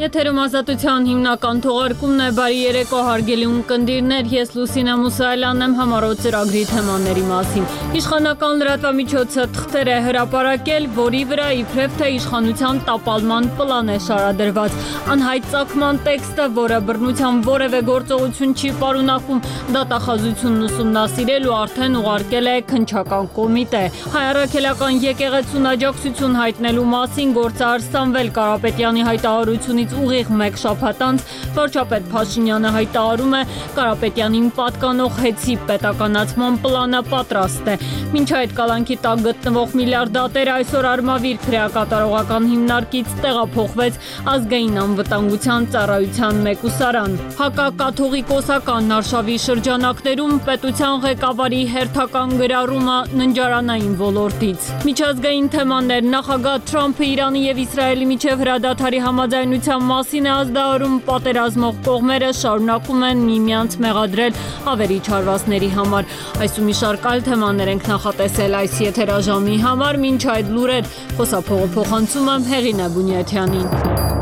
Եթերում ազատության հիմնական թողարկումն է, բարի երեկո հարգելի ունկնդիրներ, ես Լուսինե Մուսայելյանն եմ, համառոտ ծրագրի թեմաների մասին։ Իշխանական լրատվամիջոցը թղթեր է հրապարակել, որի վրա իբրև թե իշխանության տապալման պլան է շարադրված։ Անհայտ ծագման տեքստը, որը բռնության որևէ գործողություն չի պարունակում, դատախազությունն ուսումնասիրել ու արդեն ուղարկել է քննչական կոմիտե։ Հայ առաքելական եկեղեցուն աջակցություն հայտնելու մասին գործը արստանվել Կարապետյանի հայտարարությունից ուղիղ մեկ շաբաթ անց վարչապետ Փաշինյանը հայտարարում է Կարապետյանին պատկանող հեծի պետականացման պլանը պատրաստ է։ Մինչ այդ կալանքի տակ գտնվող միլիարդատերը այսօր Արմավիր քրեակատարողական հիմնարկից տեղափոխվեց ազգային անվտանգության ծառայության մեկուսարան։ Հակակաթողիկոսական Արշավի շրջանակներում պետության ղեկավարի հերթական գրառումը ննջարանային ոլորտից։ Միջազգային թեմաներ նախագահ Թրամփը Իրանի եւ Իսրայելի միջև հրադադարի համաձայնության մասին է ազդարարում, պատերազմող կողմերը շարունակում են միմյանց մեղադրել ավերիչ հարվածների համար։ Այս ու մի շարք այլ թեմաներ ենք նախատեսել այս եթերաժամի համար, մինչ այդ լուրեր խոսափողը փոխանցում եմ Հեղինե Բունյաթյանին։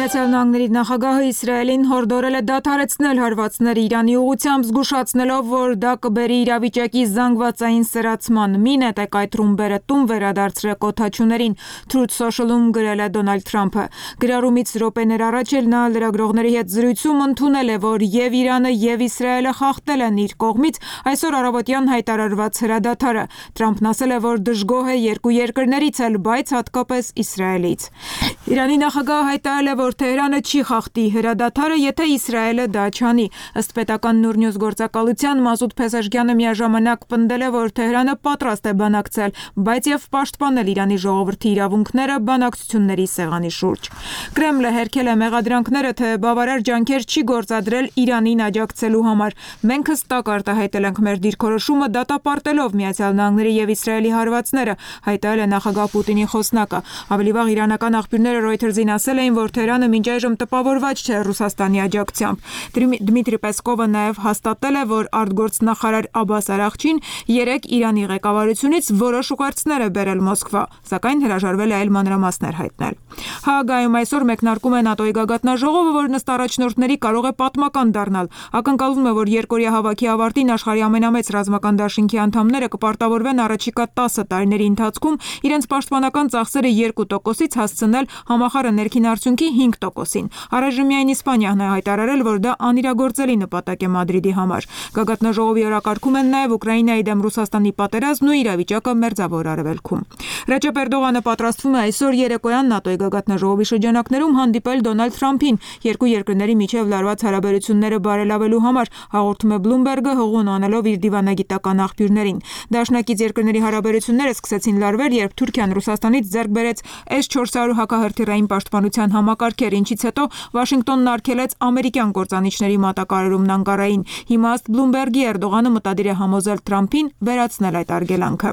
Միացյալ Նահանգների նախագահը Իսրայելին հորդորել է դադարեցնել հարվածները Իրանի ուղղությամբ, զգուշացնելով, որ դա կբերի իրավիճակի զանգվածային սրացման։ Մի նետեք այդ ռումբերը տուն վերադարձրեք օդաչուներին, Truth Social-ում գրել է Դոնալդ Թրամփը։ Գրառումից րոպեներ առաջ էլ նա լրագրողների հետ զրույցում ընդունել է, որ եւ Իրանը եւ Իսրայելը խախտել են իր կողմից այսօր առավոտյան հայտարարված հրադադարը։ Թրամփն ասել է, որ դժգոհ է երկու երկրներից էլ, բայց հատկապես Իսրայելից։ Իրանի նախագահը հայտարարել է, որ Թեհրանը չի խախտի հրադադարը, եթե Իսրայելը դա չանի։ Ըստ պետական Նուրնյուզ գործակալության Մասուդ Փեզեշքյանը միաժամանակ պնդել է, որ Թեհրանը պատրաստ է բանակցել, բայց եւ պաշտպանել Իրանի ժողովրդի իրավունքները բանակցությունների սեղանի շուրջ։ Կրեմլը հերքել է մեղադրանքները, թե բավարար ջանքեր չի գործադրել Իրանին աջակցելու համար։ Մենք հստակ արտահայտել ենք մեր դիրքորոշումը դատապարտելով Միացյալ Նահանգների եւ Իսրայելի հարվածները, հայտարարել է նախագահ Պուտինի խոսնակը։ Ավելի վաղ իրանական աղբյուրները Reuters-ին ասել էին, որ Թեհրանը մինչ այժմ տպավորված չէ Ռուսաստանի աջակցությամբ։ Դմիտրի Պեսկովը նաև հաստատել է, որ արտգործնախարար Աբբաս Արաղչին երեկ Իրանի ղեկավարությունից որոշ ուղերձներ է բերել Մոսկվա, սակայն հրաժարվել է այլ մանրամասներ հայտնել։ Հաագայում այսօր մեկնարկում է ՆԱՏՕ-ի գագաթնաժողովը, որն ըստ առաջնորդների կարող է պատմական դառնալ։ Ակնկալվում է, որ երկօրյա հավաքի ավարտին աշխարհի ամենամեծ ռազմական դաշինքի անդամները կպարտավորվեն առաջիկա 10 տարիների ընթացքում իրենց պաշտպանական ծախսերը 2%-ից հասցնել համախառն ներքին արդյունքի 5%-ին։ Առայժմյան Իսպանիան է հայտարարել, որ դա անիրագործելի նպատակ է Մադրիդի համար։ Գագաթնաժողովի օրակարգում են նաև Ուկրաինայի դեմ Ռուսաստանի պատերազմն ու իրավիճակը Մերձավոր Արևելքում։ Ռեջեփ Էրդողանը պատրաստվում է այսօր երեկոյան ՆԱՏՕ-ի գագաթնաժողովի շրջանակներում հանդիպել Դոնալդ Թրամփին երկու երկրների միջև լարված հարաբերությունները բարելավելու համար, հաղորդում է Bloomberg-ը հողուն անելով իր դիվանագիտական աղբյուրներին։ Դաշնակից երկրների հարաբերությունները սկսեցին լարվել, երբ Թուրքիան Ռուսաստանից ձեռք բերեց S-400 հակահրթիռային պաշտպանության համակարգեր, ինչից հետո Վաշինգտոնն արգելեց ամերիկյան կործանիչների մատակարարումն Անկարային։ Հիմա ըստ Bloomberg-ի Էրդողանը մտադիր է համոզել Թրամփին վերացնել այդ արգելանքը։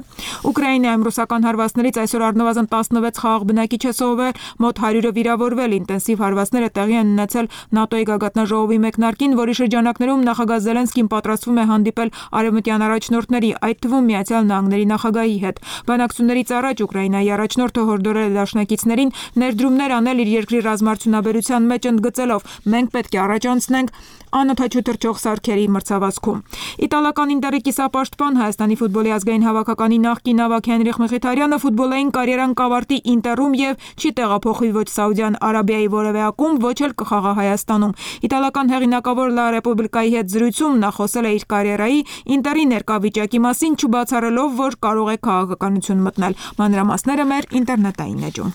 Ուկրաինայում ռուսական հարվածներից այսօր առնվազն 16 խաղաղ բնակիչ է սովորել, մոտ 100-ը վիրավորվել։ Ինտենսիվ հարվածները տեղի են ունեցել ՆԱՏՕ-ի գագաթնաժողովի մեկնարկին, որի շրջանակներում նախագահ Զելենսկին պատրաստվում է հանդիպել արևմտյան առաջնորդների, այդ թվում Միացյալ Նահանգների նախագահի հետ։ Բանակցություններից առաջ Ուկրաինայի առաջնորդը հորդորել է դաշնակիցներին ներդրումներ անել իր երկրի ռազմարդյունաբերության մեջ, ընդգծելով. մենք պետք է առաջ անցնենք անօդաչու թռչող սարքերի մրցավազքում։ Իտալական Ինտերի կիսապաշտպան Հայաստանի ֆուտբոլի ազգային հավաքականի նախկին ավագ Հենրիխ Մխիթարյանը ֆուտբոլային կարիերան կավարտի Ինտերում եւ չի տեղափոխվի ոչ Սաուդյան Արաբիայի որևէ ակումբ, ոչ էլ կխաղա Հայաստանում։ Իտալական հեղինակավոր Լա Ռեպուբլիկայի հետ զրույցում նա խոսել է իր կարիերայի Ինտերի ներկա վիճակի մասին, չբացառելով, որ կարող է քաղաքականություն մտնել։ Մանրամասները մեր ինտերնետային էջում։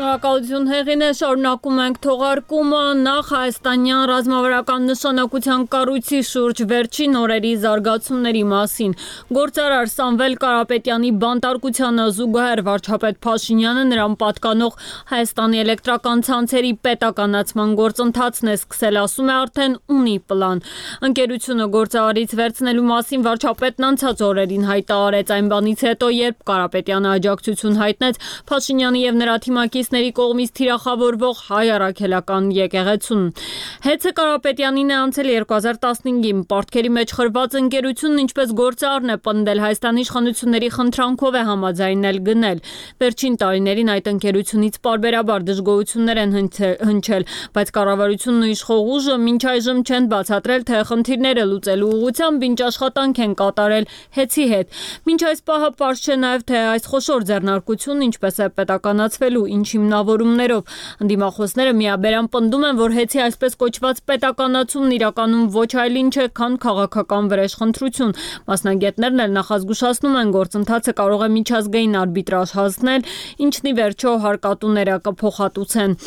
Շնորհակալ Շնորհակալություն Հեղինե, շարունակում ենք թողարկումը նախ հայաստանյան ռազմավարական նշանակության կառույցի շուրջ վերջին օրերի զարգացումների մասին։ Գործարար Սամվել Կարապետյանի բանտարկությանը զուգահեռ վարչապետ Փաշինյանը նրան պատկանող Հայաստանի էլեկտրական ցանցերի պետականացման գործընթացն է սկսել, ասում է արդեն ունի պլան։ Ընկերությունը գործարարից վերցնելու մասին վարչապետն անցած օրերին հայտարարեց, այն բանից հետո, երբ Կարապետյանը աջակցություն հայտնեց Փաշինյանի եւ նրա թիմակիցների կողմից թիրախավորվող հայ առաքելական եկեղեցուն։ Հեծը Կարապետյանին է անցել 2015-ին, պարտքերի մեջ խրված ընկերությունն ինչպես գործարարն է պնդել, Հայաստանի իշխանությունների խնդրանքով է համաձայնել գնել։ Վերջին տարիներին այդ ընկերությունից պարբերաբար դժգոհություններ են հնչել, բայց կառավարությունն ու իշխող ուժը մինչ այժմ չեն բացատրել, թե խնդիրները լուծելու ուղղությամբ ինչ աշխատանք են կատարել հեծի հետ։ Մինչ այս պահը պարզ չէ նաև, թե այս խոշոր ձեռնարկությունն ինչպես է պետականացվելու, ինչ հիմնավորումներով։ Ընդդիմախոսները միաբերան պնդում են, որ հեծի այսպես կոչված պետականացումն իրականում ոչ այլ ինչ է, քան քաղաքական վրեժխնդրություն։ Մասնագետներն էլ նախազգուշացնում են, գործընթացը կարող է միջազգային արբիտրաժ հասնել, ինչն ի վերջո հարկատուները կփոխհատուցեն։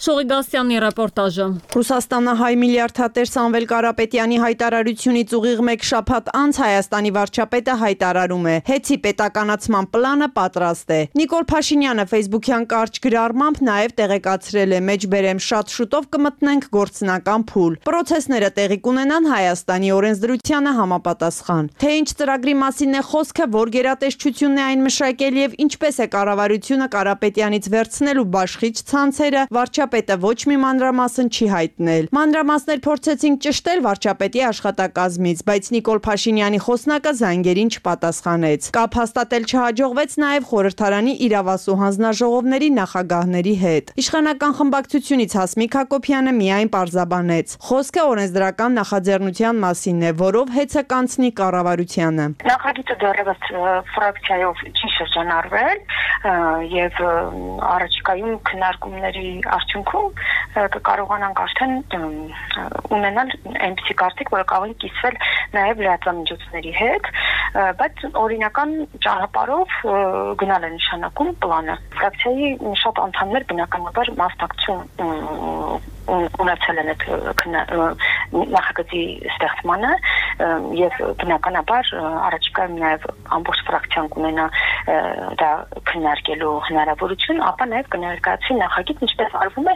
Շողիգասյանի ռեպորտաժը։ Ռուսաստանահայ միլիարդատեր Սամվել Կարապետյանի հայտարարությունից ուղիղ մեկ շաբաթ անց Հայաստանի վարչապետը հայտարարում է. հեծի պետականացման պլանը պատրաստ է։ Նիկոլ Փաշինյանը Facebook-յան կարճ գրառմամբ նաև տեղեկացրել է. մեջբերեմ շատ շուտով կմտնենք գործնական փուլ։ Պրոցեսները տեղի կունենան Հայաստանի օրենսդրությանը համապատասխան։ Թե ինչ ծրագրի մասին է խոսքը, որ գերատեսչությունն է այն մշակել եւ ինչպես է կառավարությունը Կարապետյանից վերցնելու բաշխիչ ցանցերը, վարչապետը ոչ մի մանրամասն չի հայտնել։ Մանրամասներ փորձեցինք ճշտել վարչապետի աշխատակազմից, բայց Նիկոլ Փաշինյանի խոսնակը զանգերին չպատասխանեց։ Կապ հաստատել չհաջողվեց նաև խորհրդարանի իրավասու հանձնաժողովների նախագահների հետ։ Իշխանական խմբակցությունից Հասմիկ Հակոբյանը միայն պարզաբանեց. խոսքը օրենսդրական նախաձեռնության մասին է, որով հեծը կանցնի կառավարությանը։ Նախագիծը դեռևս ֆրակցիայով չի շրջանառվել եւ առաջիկայում քննարկումների արդյունքում կկարողանանք արդեն ունենալ այնպիսի կարծիք, որը կարող է կիսվել նաև լրատվամիջոցների հետ, բայց օրինական ճանապարհով գնալ է նշանակում պլանը։ Ֆրակցիայի շատ անդամներ բնականաբար մասնակցություն ունեցել են այդ նախագծի ստեղծմանը եւ բնականաբար առաջիկայում նաև ամբողջ ֆրակցիան կունենա դա քննարկելու հնարավորություն, ապա նաև կներկայացվի նախագիծ, ինչպես արվում է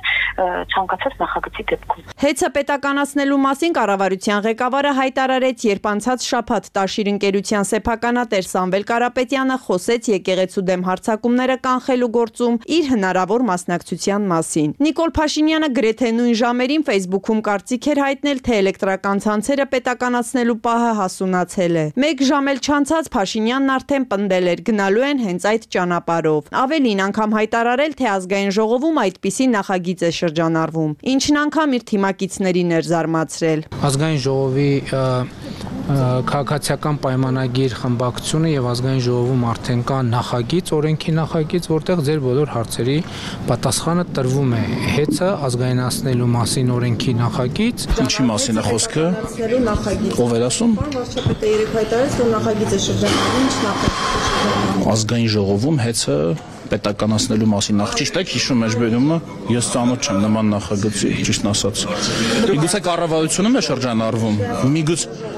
ցանկացած նախագծի դեպքում։ Հեծը պետականացնելու մասին կառավարության ղեկավարը հայտարարեց, երբ անցած շաբաթ Տաշիր ընկերության սեփականատեր Սամվել Կարապետյանը խոսեց եկեղեցու դեմ հարձակումները կանխելու գործում իր հնարավոր մասնակցության մասին։ Նիկոլ Փաշինյանը գրեթե նույն ժամերին Facebook-ում կարծիք էր հայտնել, թե էլեկտրական ցանցերը պետականացնելու պահը հասունացել է։ Մեկ ժամ էլ չանցած Փաշինյանն արդեն պնդել էր գնալու են հենց այդ ճանապարհով։ Ավելին անգամ հայտարարել, թե ազգային ժողովում այդպիսի նախագիծ է շրջանառվում, ինչն անգամ իր թիմակիցներին էր զարմացրել։ Ազգային ժողովի քաղաքացիական պայմանագիր խմբակցությունը եւ ազգային ժողովում արդեն կա նախագիծ, օրենքի նախագիծ, որտեղ ձեր բոլոր հարցերի պատասխանը տրվում է։ Հեծը ազգայնացնելու մասին օրենքի նախագիծ։ Ինչի մասին է խոսքը։ Ով էր ասում։ Վարչապետը երեք հայտարարեց, որ նախագիծ է շրջանառվում, ինչ նախագիծ։ Ազգային ժողովում հեծը պետականացնելու մասին նախ ճիշտ է հիշում մեջբերումը, ես ծանոթ չեմ նման նախագծի, ճիշտն ասած։ Միգուցե կառավարությունում է շրջանառվում, միգուցե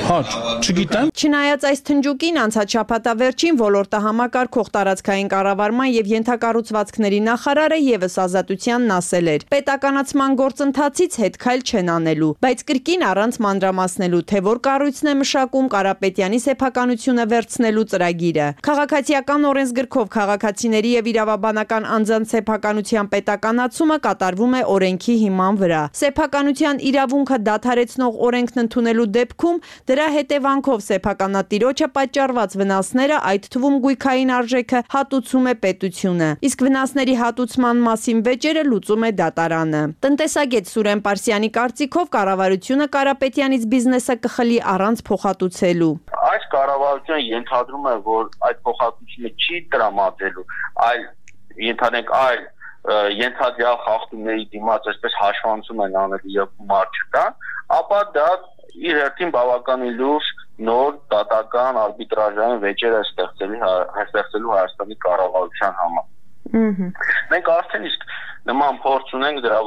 հա, չգիտեմ։ Չնայած այս թնջուկին անցած շաբաթավերջին ոլորտը համակարգող տարածքային կառավարման եւ ենթակառուցվածքների նախարարը եւս Ազատությանն ասել էր. պետականացման գործընթացից հետ քայլ չեն անելու, բայց կրկին առանց մանրամասնելու, թե որ կառույցն է մշակում Կարապետյանի սեփականությունը վերցնելու ծրագիրը։ Քաղաքացիական օրենսգրքով քաղաքացիների եւ իրավաբանական անձանց սեփականության պետականացումը կատարվում է օրենքի հիման վրա։ Սեփականության իրավունքը դադարեցնող օրենքն ընդունելու դեպքում դրա հետևանքով սեփականատիրոջը պատճառված վնասները, այդ թվում գույքային արժեքը, հատուցում է պետությունը, իսկ վնասների հատուցման մասին վեճերը լուծում է դատարանը։ Տնտեսագետ Սուրեն Պարսյանի կարծիքով կառավարությունը Կարապետյանից բիզնեսը կխլի առանց փոխհատուցելու։ Այս կառավարությունը ենթադրում է, որ այդ փոխհատուցումը չի տրամադրելու, այլ ենթադրենք այլ ենթադրյալ խախտումների դիմաց այսպես հաշվանցում են անելու եւ գումար չտան, ապա դա իր հերթին բավականին լուրջ նոր դատական արբիտրաժային վեճեր է ստեղծելու Հայաստանի կառավարության համար։ Մենք արդեն իսկ նման փորձ ունենք դրա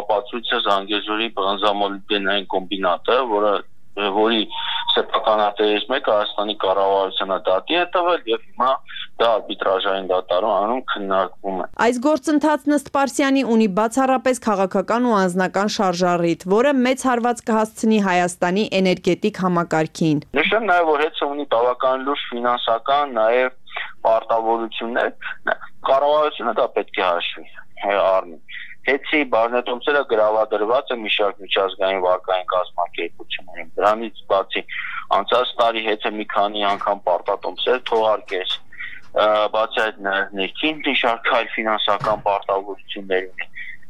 ապացույցը Զանգեզուրի բնզամոլիբդենային կոմբինատը, որի սեփականատերից մեկը Հայաստանի կառավարությանը դատի է տվել եւ հիմա դա արբիտրաժային դատարանում քննարկվում է։ Այս գործընթացն ըստ Պարսյանի ունի բացառապես քաղաքական ու անձնական շարժառիթ, որը մեծ հարված կհասցնի Հայաստանի էներգետիկ համակարգին։ Նշեմ նաեւ, որ հետո ունի բավական լուրջ ֆինանսական նաեւ պարտավորություններ, կառավարությունը դա պետք է հաշվի առնի։ Հետի բաժնետոմսերը գրավադրված է մի շարք միջազգային վարկային կազմակերպություններին։ Դրանից բացի անցած տարի հետը մի քանի անգամ պարտատոմսեր թողարկեց, բացի այդ ներքին մի շարք այլ ֆինանսական պարտավորություններ ունի։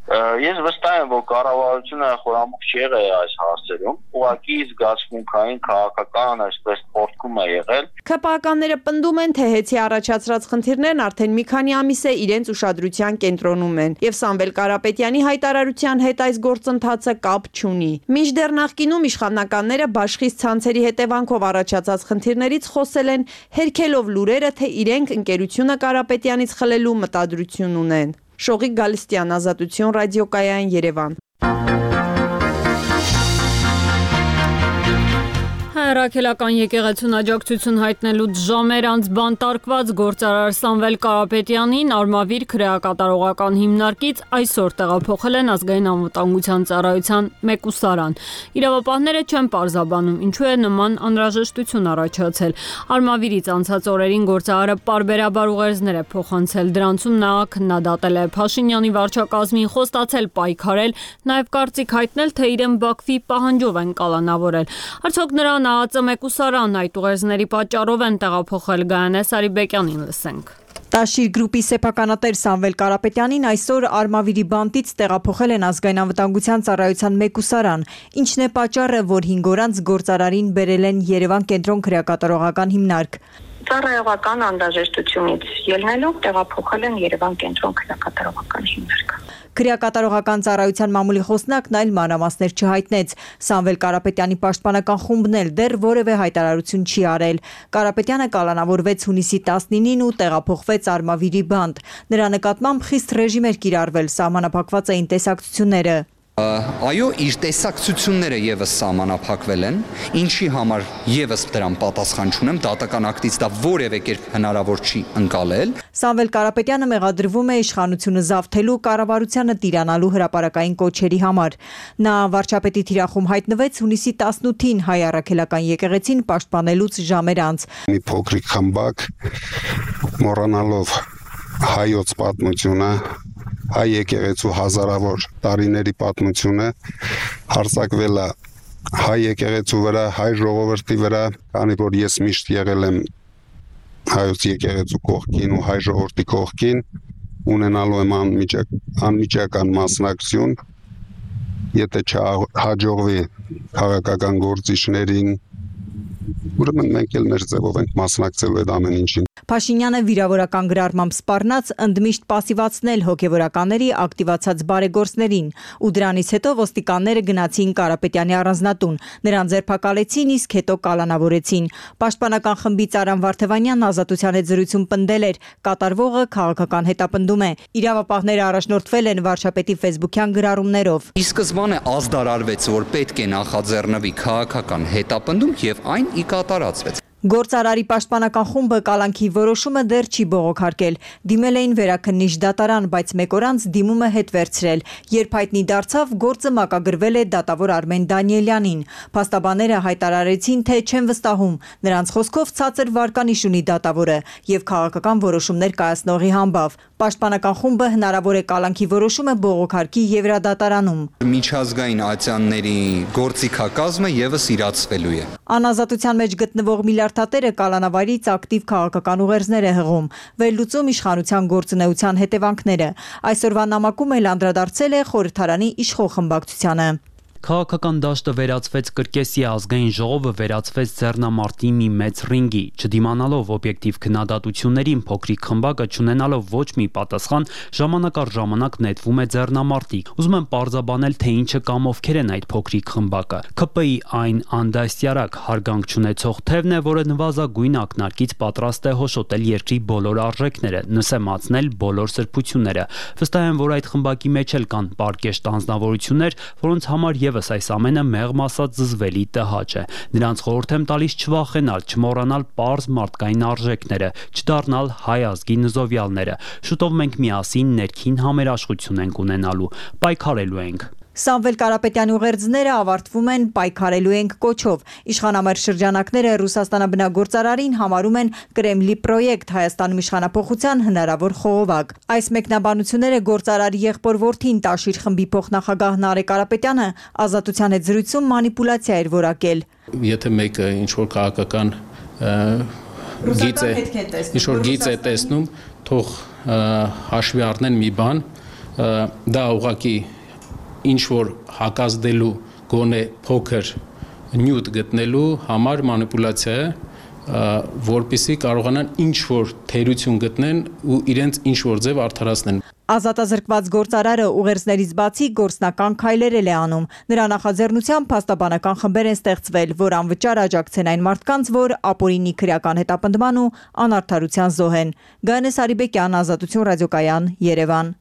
Ես վստահ եմ, որ կառավարությունը խորամուխ չի եղել այս հարցերում, ուղղակի զգացմունքային քաղաքական այսպես փորձում է եղել։ ՔՊԱ-ականները պնդում են, թե հետի առաջացրած խնդիրներն արդեն մի քանի ամիս է իրենց ուշադրության կենտրոնում են, եւ Սամվել Կարապետյանի հայտարարության հետ այս գործընթացը կապ չունի։ Մինչդեռ նախկինում իշխանականները բաշխից ցանցերի հետևանքով առաջացած խնդիրներից խոսել են, հերքելով լուրերը, թե իրենք ընկերությունը Կարապետյանից խլելու մտադրություն ունեն։ Շողիկ Գալստյան, Ազատություն, ռադիոկայան, Երևան։ Հայրաքելական եկեղեցուն աջակցություն հայտնելուց ժամեր անց բանտարկված գործարար Սամվել Կարապետյանին Արմավիր քրեակատարողական հիմնարկից այսօր տեղափոխել են Ազգային անվտանգության ծառայության մեկուսարան։ Իրավապահները չեն պարզաբանում, ինչու է նման անհրաժեշտություն առաջացել։ Արմավիրից անցած օրերին գործարարը պարբերաբար ուղերձներ է փոխանցել, դրանցում նա քննադատել է Փաշինյանի վարչակազմին, խոստացել պայքարել, նաև կարծիք հայտնել, թե իրեն Բաքվի պահանջով են կալանավորել։ Արդյոք նրան ԱԱԾ մեկուսարան այդ ուղերձների պատճառով են տեղափոխել Գայանե Սարիբեկյանին լսենք։ Տաշիր գրուպի սեփականատեր Սամվել Կարապետյանին այսօր Արմավիրի բանտից տեղափոխել են Ազգային անվտանգության ծառայության մեկուսարան, ինչն է պատճառը, որ 5 օր անց գործարարին բերել են Երևան կենտրոն քրեակատարողական հիմնարկ։ Ծառայողական անհրաժեշտությունից ելնելով տեղափոխել են Երևան կենտրոն քրեակատարողական հիմնարկ։ Քրեակատարողական ծառայության մամուլի խոսնակն այլ մանրամասներ չհայտնեց։ Սամվել Կարապետյանի պաշտպանական խումբն էլ դեռ որևէ հայտարարություն չի արել։ Կարապետյանը կալանավորվեց հունիսի 19-ին ու տեղափոխվեց Արմավիրի բանտ։ Նրա նկատմամբ խիստ ռեժիմ էր կիրառվել, սահմանափակված էին տեսակցությունները։ Այո, իր տեսակցությունները եւս սահմանափակվել են, ինչի համար եւս դրան պատասխան չունեմ, դատական ակտից դա որևէ կերպ հնարավոր չի ընկալել։ Սամվել Կարապետյանը մեղադրվում է իշխանությունը զավթելու, կառավարությանը տիրանալու հրապարակային կոչերի համար։ Նա վարչապետի թիրախում հայտնվեց հունիսի 18-ին հայ առաքելական եկեղեցին պաշտպանելուց ժամեր անց։ Մի փոքրիկ խմբակ մոռանալով հայոց պատմությունը, հայ եկեղեցու հազարավոր տարիների պատմությունը հարձակվել է հայ եկեղեցու վրա, հայ ժողովրդի վրա, քանի որ ես միշտ եղել եմ հայոց եկեղեցու կողքին ու հայ ժողովրդի կողքին, ունենալու եմ անմիջական մասնակցություն, եթե չհաջողվի քաղաքական գործիչներին, ուրեմն մենք էլ մեր ձևով ենք մասնակցելու այդ ամեն ինչին։ Փաշինյանը վիրավորական գրառմամբ սպառնաց ընդմիշտ պասիվացնել հոգևորականների ակտիվացած բարեգործներին, ու դրանից հետո ոստիկանները գնացին Կարապետյանի առանձնատուն, նրան ձերբակալեցին, իսկ հետո կալանավորեցին։ Պաշտպանական խմբի Արամ Վարդևանյանն Ազատության հետ զրույցում պնդել էր, կատարվողը քաղաքական հետապնդում է։ Իրավապահները առաջնորդվել են վարչապետի ֆեյսբուքյան գրառումներով։ Ի սկզբանե ազդարարվեց, որ պետք է նախաձեռնվի քաղաքական հետապնդում եւ այն ի կատարածվեց։ Գործարարի պաշտպանական խումբը կալանքի որոշումը դեռ չի բողոքարկել։ Դիմել էին վերաքննիչ դատարան, բայց մեկ օր անց դիմումը հետ վերցրել։ Երբ հայտնի դարձավ, գործը մակագրվել է դատավոր Արմեն Դանիելյանին։ Փաստաբանները հայտարարեցին, թե չեն վստահում։ Նրանց խոսքով ցածր վարկանիշ ունի դատավորը եւ քաղաքական որոշումներ կայացնողի համբավ։ Պաշտպանական խումբը հնարավոր է կալանքի որոշումը բողոքարկի Եվրադատարանում։ Միջազգային ատյանների գործիքակազմը եւս իրացվելու է։ Անազատության մեջ գտնվող միլիարդատերը կալանավարից ակտիվ քաղաքական ուղերձներ է հղում, վերլուծում իշխանության գործունեության հետևանքները։ Այսօրվա նամակում էլ անդրադարձել է խորհրդարանի իշխող խմբակցությանը։ Քաղաքական դաշտը վերածվեց կրկեսի, ազգային ժողովը վերածվեց ձեռնամարտի մի մեծ ռինգի, չդիմանալով օբյեկտիվ քննադատություններին փոքրիկ խմբակը չունենալով ոչ մի պատասխան, ժամանակ առ ժամանակ նետվում է ձեռնամարտի։ Ուզում եմ պարզաբանել, թե ինչը կամ ովքեր են այդ փոքրիկ խմբակը։ ՔՊ-ի այն անդաստիարակ հարգանք չունեցող թևն է, որը նվազագույն ակնարկից պատրաստ է հոշոտել երկրի բոլոր արժեքները, նսեմացնել բոլոր սրբությունները։ Վստահ եմ, որ այդ խմբակի մեջ էլ կան պարկեշտ անձնավորություններ, որոնց համար Եվս այս ամենը մեղմ ասած զզվելի տհաճ է։ Նրանց խորհուրդ եմ տալիս չվախենալ, չմոռանալ պարզ մարդկային արժեքները, չդառնալ հայ ազգի նզովյալները։ Շուտով մենք միասին ներքին համերաշխություն ենք ունենալու, պայքարելու ենք։ Սամվել Կարապետյանի ուղերձները ավարտվում են պայքարելու ենք կոչով։ Իշխանամերձ շրջանակները Ռուսաստանաբնագործարարին համարում են Կրեմլի պրոյեկտ Հայաստանում իշխանափոխության հնարավոր խողովակ։ Այս մեկնաբանությունները գործարարի եղբոր որդին Տաշիր խմբի փոխնախագահ Նարեկ Կարապետյանը Ազատության հետ զրույցում մանիպուլյացիա էր որակել։ Եթե մեկը ինչ-որ քաղաքական գիծ է տեսնում, թող հաշվի առնեն մի բան, դա ուղղակի ինչ որ հակազդելու գոնե փոքր նյութ գտնելու համար մանիպուլյացիա է, որպեսզի կարողանան ինչ որ թերություն գտնեն ու իրենց ինչ որ ձև արդարացնեն։ Ազատազրկված գործարարը ուղերձներից բացի գործնական քայլեր է անում։ Նրա նախաձեռնությամբ փաստաբանական խմբեր են ստեղծվել, որ անվճար աջակցեն այն մարդկանց, որ ապօրինի քրեական հետապնդման ու անարդարության զոհ են։ Գայանես Արիբեկյան, Ազատություն ռադիոկայան, Երևան։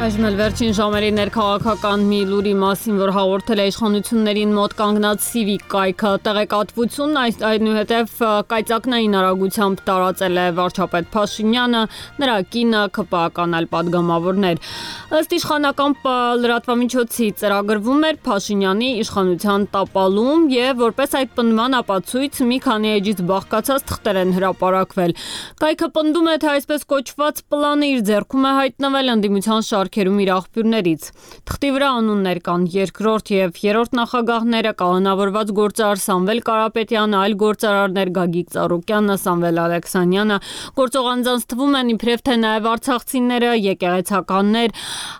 Այժմ էլ վերջին ժամերի ներքաղաքական մի լուրի մասին, որ հաղորդել է իշխանություններին մոտ կանգնած Civic կայքը, տեղեկատվությունն այնուհետև կայծակնային արագությամբ տարածել է վարչապետ Փաշինյանը, նրա կինը, ՔՊԱ-ական այլ պատգամավորներ։ Ըստ իշխանական լրատվամիջոցի ծրագրվում էր Փաշինյանի իշխանության տապալում եւ որպես այդ պնդման ապացույց մի քանի էջից բաղկացած թղթեր են հրապարակվել։ Կայքը պնդում է, թե այսպես կոչված պլանը իր ձեռքում է հայտնվել ընդդիմության շարքերում իր աղբյուրներից։ Թղթի վրա անուններ կան երկրորդ եւ երրորդ նախագահները, կանոնավորված գործարար Սամվել Կարապետյանը, այլ գործարարներ Գագիկ Ծառուկյանը, Սամվել Ալեքսանյանը, գործող անձանց թվում են իբրև թե նաեւ արցախցիները, եկեղեցականներ,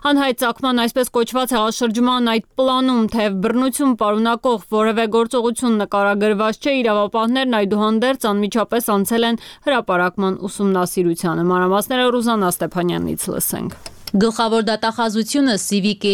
անհայցակման այսպես կոչված հեղաշրջման այդ պլանում թեև բռնություն պարունակող որևէ գործողություն նկարագրված չէ, իրավապահներն այդուհանդերձ անմիջապես անցել են հրապարակման ուսումնասիրությանը։ Մանրամասները Ռուզաննա Ստեփանյանից լսենք։ Գլխավոր դատախազությունը Civic-ի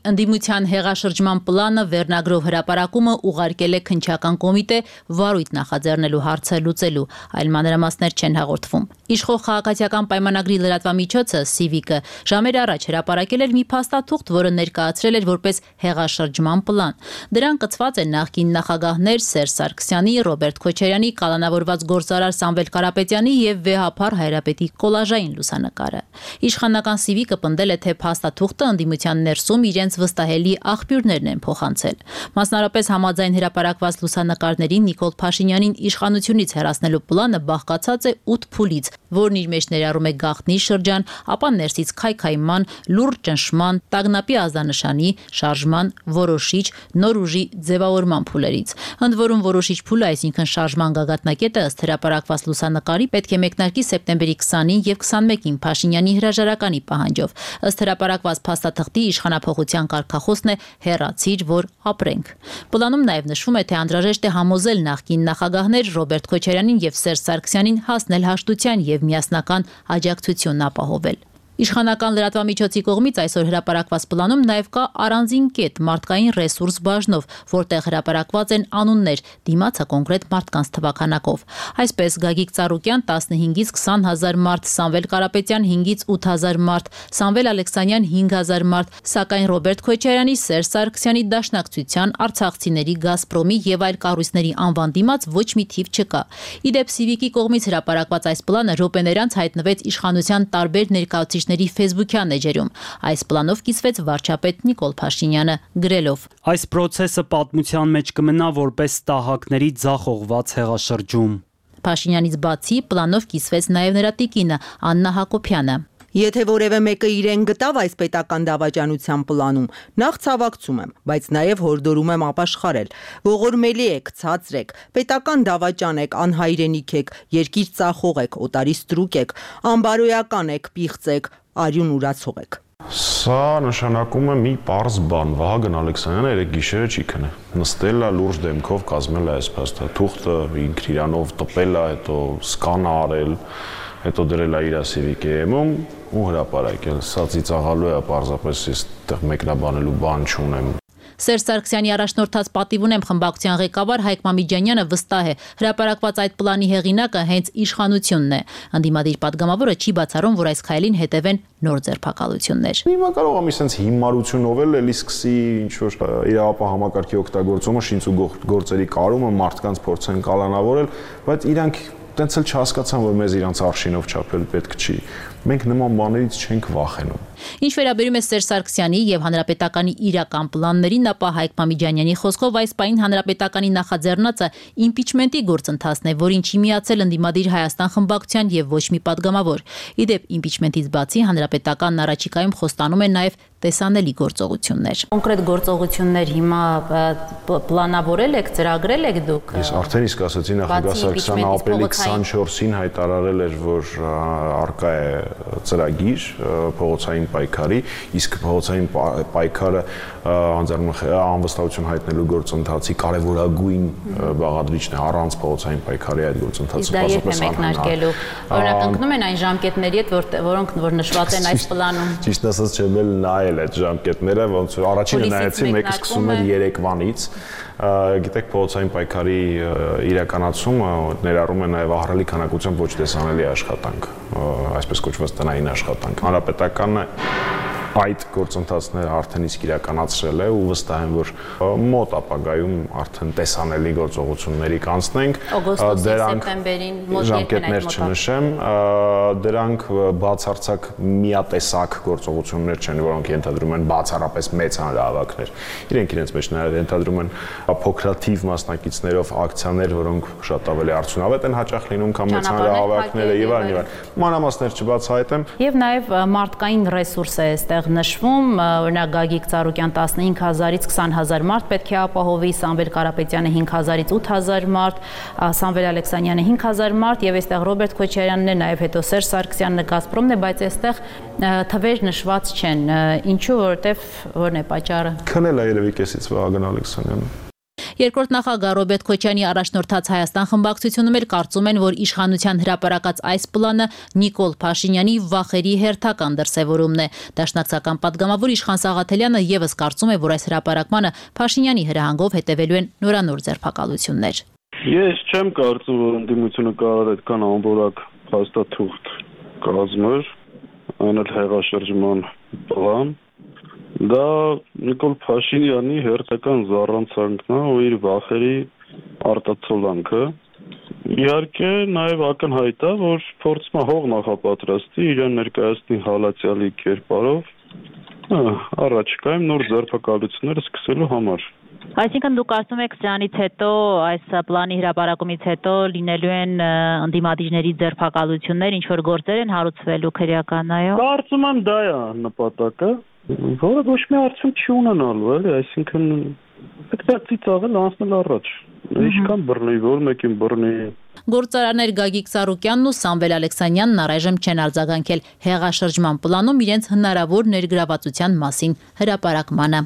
ընդդիմության հեղաշրջման պլանը վերնագրով հրապարակումը ուղարկել է քննչական կոմիտե վարույթ նախաձեռնելու հարցը լուծելու, այլ մանրամասներ չեն հաղորդվում։ Իշխող քաղաքացիական պայմանագրի լրատվամիջոցը Civic-ը ժամեր առաջ հրապարակել էր մի փաստաթուղթ, որը ներկայացրել էր որպես հեղաշրջման պլան։ Դրան կցված են նախկին նախագահներ Սերժ Սարգսյանի, Ռոբերտ Քոչարյանի, կալանավորված գործարար Սամվել Կարապետյանի եւ վեհափառ Հայրապետի կոլաժային լուսանկարը։ Իշխանական Civic-ը պնդել է, թե փաստաթուղթը ընդդիմության ներսում իրենց վստահելի աղբյուրներն են փոխանցել։ Մասնարարպես համաձայն հրապարակված լուսանկարների Նիկոլ Փաշինյանին իշխանությունից հեռացնելու պլանը բաղկացած է 8 փուլից, որն իր մեջ ներառում է գաղտնի շրջան, ապա ներսից քայքայման, լուրջ ճնշման, տագնապի ազդանշանի, շարժման, որոշիչ, նոր ուժի ձևավորման փուլերից։ Ընդ որում որոշիչ փուլը, այսինքն շարժման գագաթնակետը ըստ հրապարակված լուսանկարի պետք է մեկնարկի սեպտեմբերի 20-ին եւ 21-ին Փաշինյանի հրաժարականի պահանջով։ Ըստ հրապարակված փաստաթղթի իշխանափոխության կարգախոսն է հեռացիր, որ ապրենք։ Պլանում նաև նշվում է, թե անհրաժեշտ է համոզել նախկին նախագահներ Ռոբերտ Քոչարյանին եւ Սերժ Սարգսյանին հասնել հաշտության եւ միասնական աջակցություն ապահովել։ Իշխանական լրատվամիջոցի կողմից այսօր հրապարակված պլանում նաև կա առանձին կետ մարդկային ռեսուրս բաժնով, որտեղ հրապարակված են անուններ, դիմացը կոնկրետ մարդկանց թվականակով։ Այսպես Գագիկ Ծառուկյան 15-ից 20,000 մարդ, Սամվել Կարապետյան 5-ից 8,000 մարդ, Սամվել Ալեքսանյան 5,000 մարդ, սակայն Ռոբերտ Քոչարյանի, Սերժ Սարգսյանի դաշնակցության, արցախցիների, Գազպրոմի եւ այլ կառույցների անվան դիմաց ոչ մի թիվ չկա։ Իդեպ Civic-ի կողմից հրապարակված այս պլանը րոպեներանց հայտնվեց իշխանության տարբեր ներկայացուցիչների Facebook-յան էջերում։ Այս պլանով կիսվեց վարչապետ Նիկոլ Փաշինյանը գրելով. Այս process-ը պատմության մեջ կմնա որպես տահակների ձախողված հեղաշրջում։ Փաշինյանից բացի պլանով կիսվեց նաև նրա տիկինը Աննա Հակոբյանը։ Եթե որևէ մեկը իրեն գտավ այս պետական դավաճանության պլանում, նախ ցավակցում եմ, բայց նաև հորդորում եմ ապաշխարել։ Ողորմելի եք, ցածրեք, պետական դավաճան եք, անհայրենիք եք, երկիր ծախող եք, օտարի ստրուկ եք, անբարոյական եք, պիղծ եք, արյուն ուրացող եք։ Սա նշանակում է մի պարզ բան, Վահագն Ալեքսանյանը երեք գիշերը չի քնել։ Նստել է լուրջ դեմքով կազմել է այս փաստը, թուղթը ինքն իրանով տպել է, հետո սկանա արել, հետո դրել է իր CV-ում ու հրապարակել։ Սա ծիծաղալու է, պարզապես ես այդտեղ մեկնաբանելու բան չունեմ։ Սերժ Սարգսյանի առաջնորդած պատիվ ունեմ խմբակցության ղեկավար Հայկ Մամիջանյանը վստահ է, հրապարակված այդ պլանի հեղինակը հենց իշխանությունն է։ Ընդդիմադիր падգամավորը չի բացառում, որ այս քայլին հետևեն նոր ձերբակալություններ։ Հիմա կարող եմ ասենց հիմարությունով էլի սկսի ինչ որ իրավապահ համակարգի օգտագործումը, շինց ու գործերի կարումը, մարդկանց փորձեն կալանավորել, բայց իրանք տենց էլ չհասկացան, որ մեզ իրանց արշինով չափել պետք չի։ Մենք նման բաներից չենք վախենում։ Ինչ վերաբերում է Սերժ Սարգսյանի եւ Հանրապետականի իրական պլաններին, ապա Հայկ Մամիջանյանի խոսքով այս պահին Հանրապետականի նախաձեռնածը իմպիչմենտի գործընթացն է, որին չի միացել ընդդիմադիր Հայաստան խմբակցության եւ ոչ մի падգամավոր։ Իդեպ իմպիչմենտից բացի Հանրապետականն առաջիկայում խոստանում է նաեւ տեսանելի գործողություններ։ Կոնկրետ գործողություններ հիմա պլանավորել եք, ծրագրել եք դուք։ Ես արդեն իսկ ասացի նախագահ Սարգսյանը ապրիլի 24-ին հայտարարել էր, որ արկա է ծրագիր փողոցային պայքարի, իսկ փողոցային պայքարը անվստահություն հայտնելու գործընթացի կարևորագույն բաղադրիչն է, առանց փողոցային պայքարի այդ գործընթացը պարզապես մեկնարկելու։ Օրինակ ընկնում են այն ժամկետների հետ, որոնք որ նշված են այս պլանում։ Ճիշտ ասած չեմ էլ նայել այդ ժամկետները, ոնց որ առաջինը նայեցի, մեկը սկսում էր Երևանից։ Գիտեք, փողոցային պայքարի իրականացումը ներառում է նաև ահռելի քանակությամբ ոչ տեսանելի աշխատանք, այսպես կոչված տնային աշխատանք։ Հանրապետականը այդ գործընթացները արդեն իսկ իրականացրել է ու վստահ եմ, որ մոտ ապագայում արդեն տեսանելի գործողությունների կանցնենք։ Դրանք սեպտեմբերին ժամկետներ չնշեմ, դրանք բացարձակ միատեսակ գործողություններ չեն, որոնք ենթադրում են բացառապես մեծ հանրահավաքներ։ Իրենք իրենց մեջ ենթադրում են փոքրաթիվ մասնակիցներով ակցիաներ, որոնք շատ ավելի արդյունավետ են հաճախ լինում, քան մեծ հանրահավաքները եւ այլն։ Մանրամասներ չբացահայտեմ։ Եվ նաեւ մարդկային ռեսուրս է այստեղ նշվում, օրինակ Գագիկ Ծառուկյան 15000-ից 20000 մարդ պետք է ապահովի, Սամվել Կարապետյանը 5000-ից 8000 մարդ, Սամվել Ալեքսանյանը 5000 մարդ եւ այստեղ Ռոբերտ Քոչարյանն է, նաեւ հետո Սերժ Սարգսյանն է, Գազպրոմն է, բայց այստեղ թվեր նշված չեն։ Ինչու, որովհետեւ որն է պատճառը։ Քնել է երևի կեսից Վահագն Ալեքսանյանը։ Երկրորդ նախագահ Ռոբերտ Քոչյանի առաջնորդած Հայաստան խմբակցությունում էլ կարծում են, որ իշխանության հրապարակած այս պլանը Նիկոլ Փաշինյանի վախերի հերթական դրսևորումն է։ Դաշնակցական падգամավոր Իշխան Սաղաթելյանը եւս կարծում է, որ այս հրապարակմանը Փաշինյանի հրահանգով հետևելու են նորանոր ձերբակալություններ։ Ես չեմ կարծում, որ ընդդիմությունը կարող է այդքան անորակ փաստաթուղթ կազմել, այն էլ հեղաշրջման պլան։ Դա Նիկոլ Փաշինյանի հերթական զառանցանքն է ու իր վախերի արտացոլանքը։ Իհարկե նաև ակնհայտ է, որ փորձում է հող նախապատրաստի իրեն ներկայացնի հալածյալի կերպարով առաջիկայում նոր ձերբակալություններ սկսելու համար։ Այսինքն դուք կարծում եք սրանից հետո, այս պլանի հրապարակումից հետո լինելու են ընդդիմադիրների ձերբակալություններ, ինչ որ գործեր են հարուցվելու քրեական, այո։ Կարծում եմ դա է նպատակը, որը ոչ մի արդյունք չի ունենալու, էլի, այսինքն պետք է ծիծաղել անցնել առաջ։ Ինչքան բռնի, որ մեկին բռնի։ Գործարաններ Գագիկ Ծառուկյանն ու Սամվել Ալեքսանյանն առայժմ չեն արձագանքել հեղաշրջման պլանում իրենց հնարավոր ներգրավվածության մասին հրապարակմանը։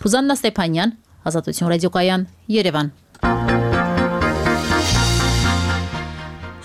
Ռուզաննա Ստեփանյան, Ազատություն ռադիոկայան, Երևան։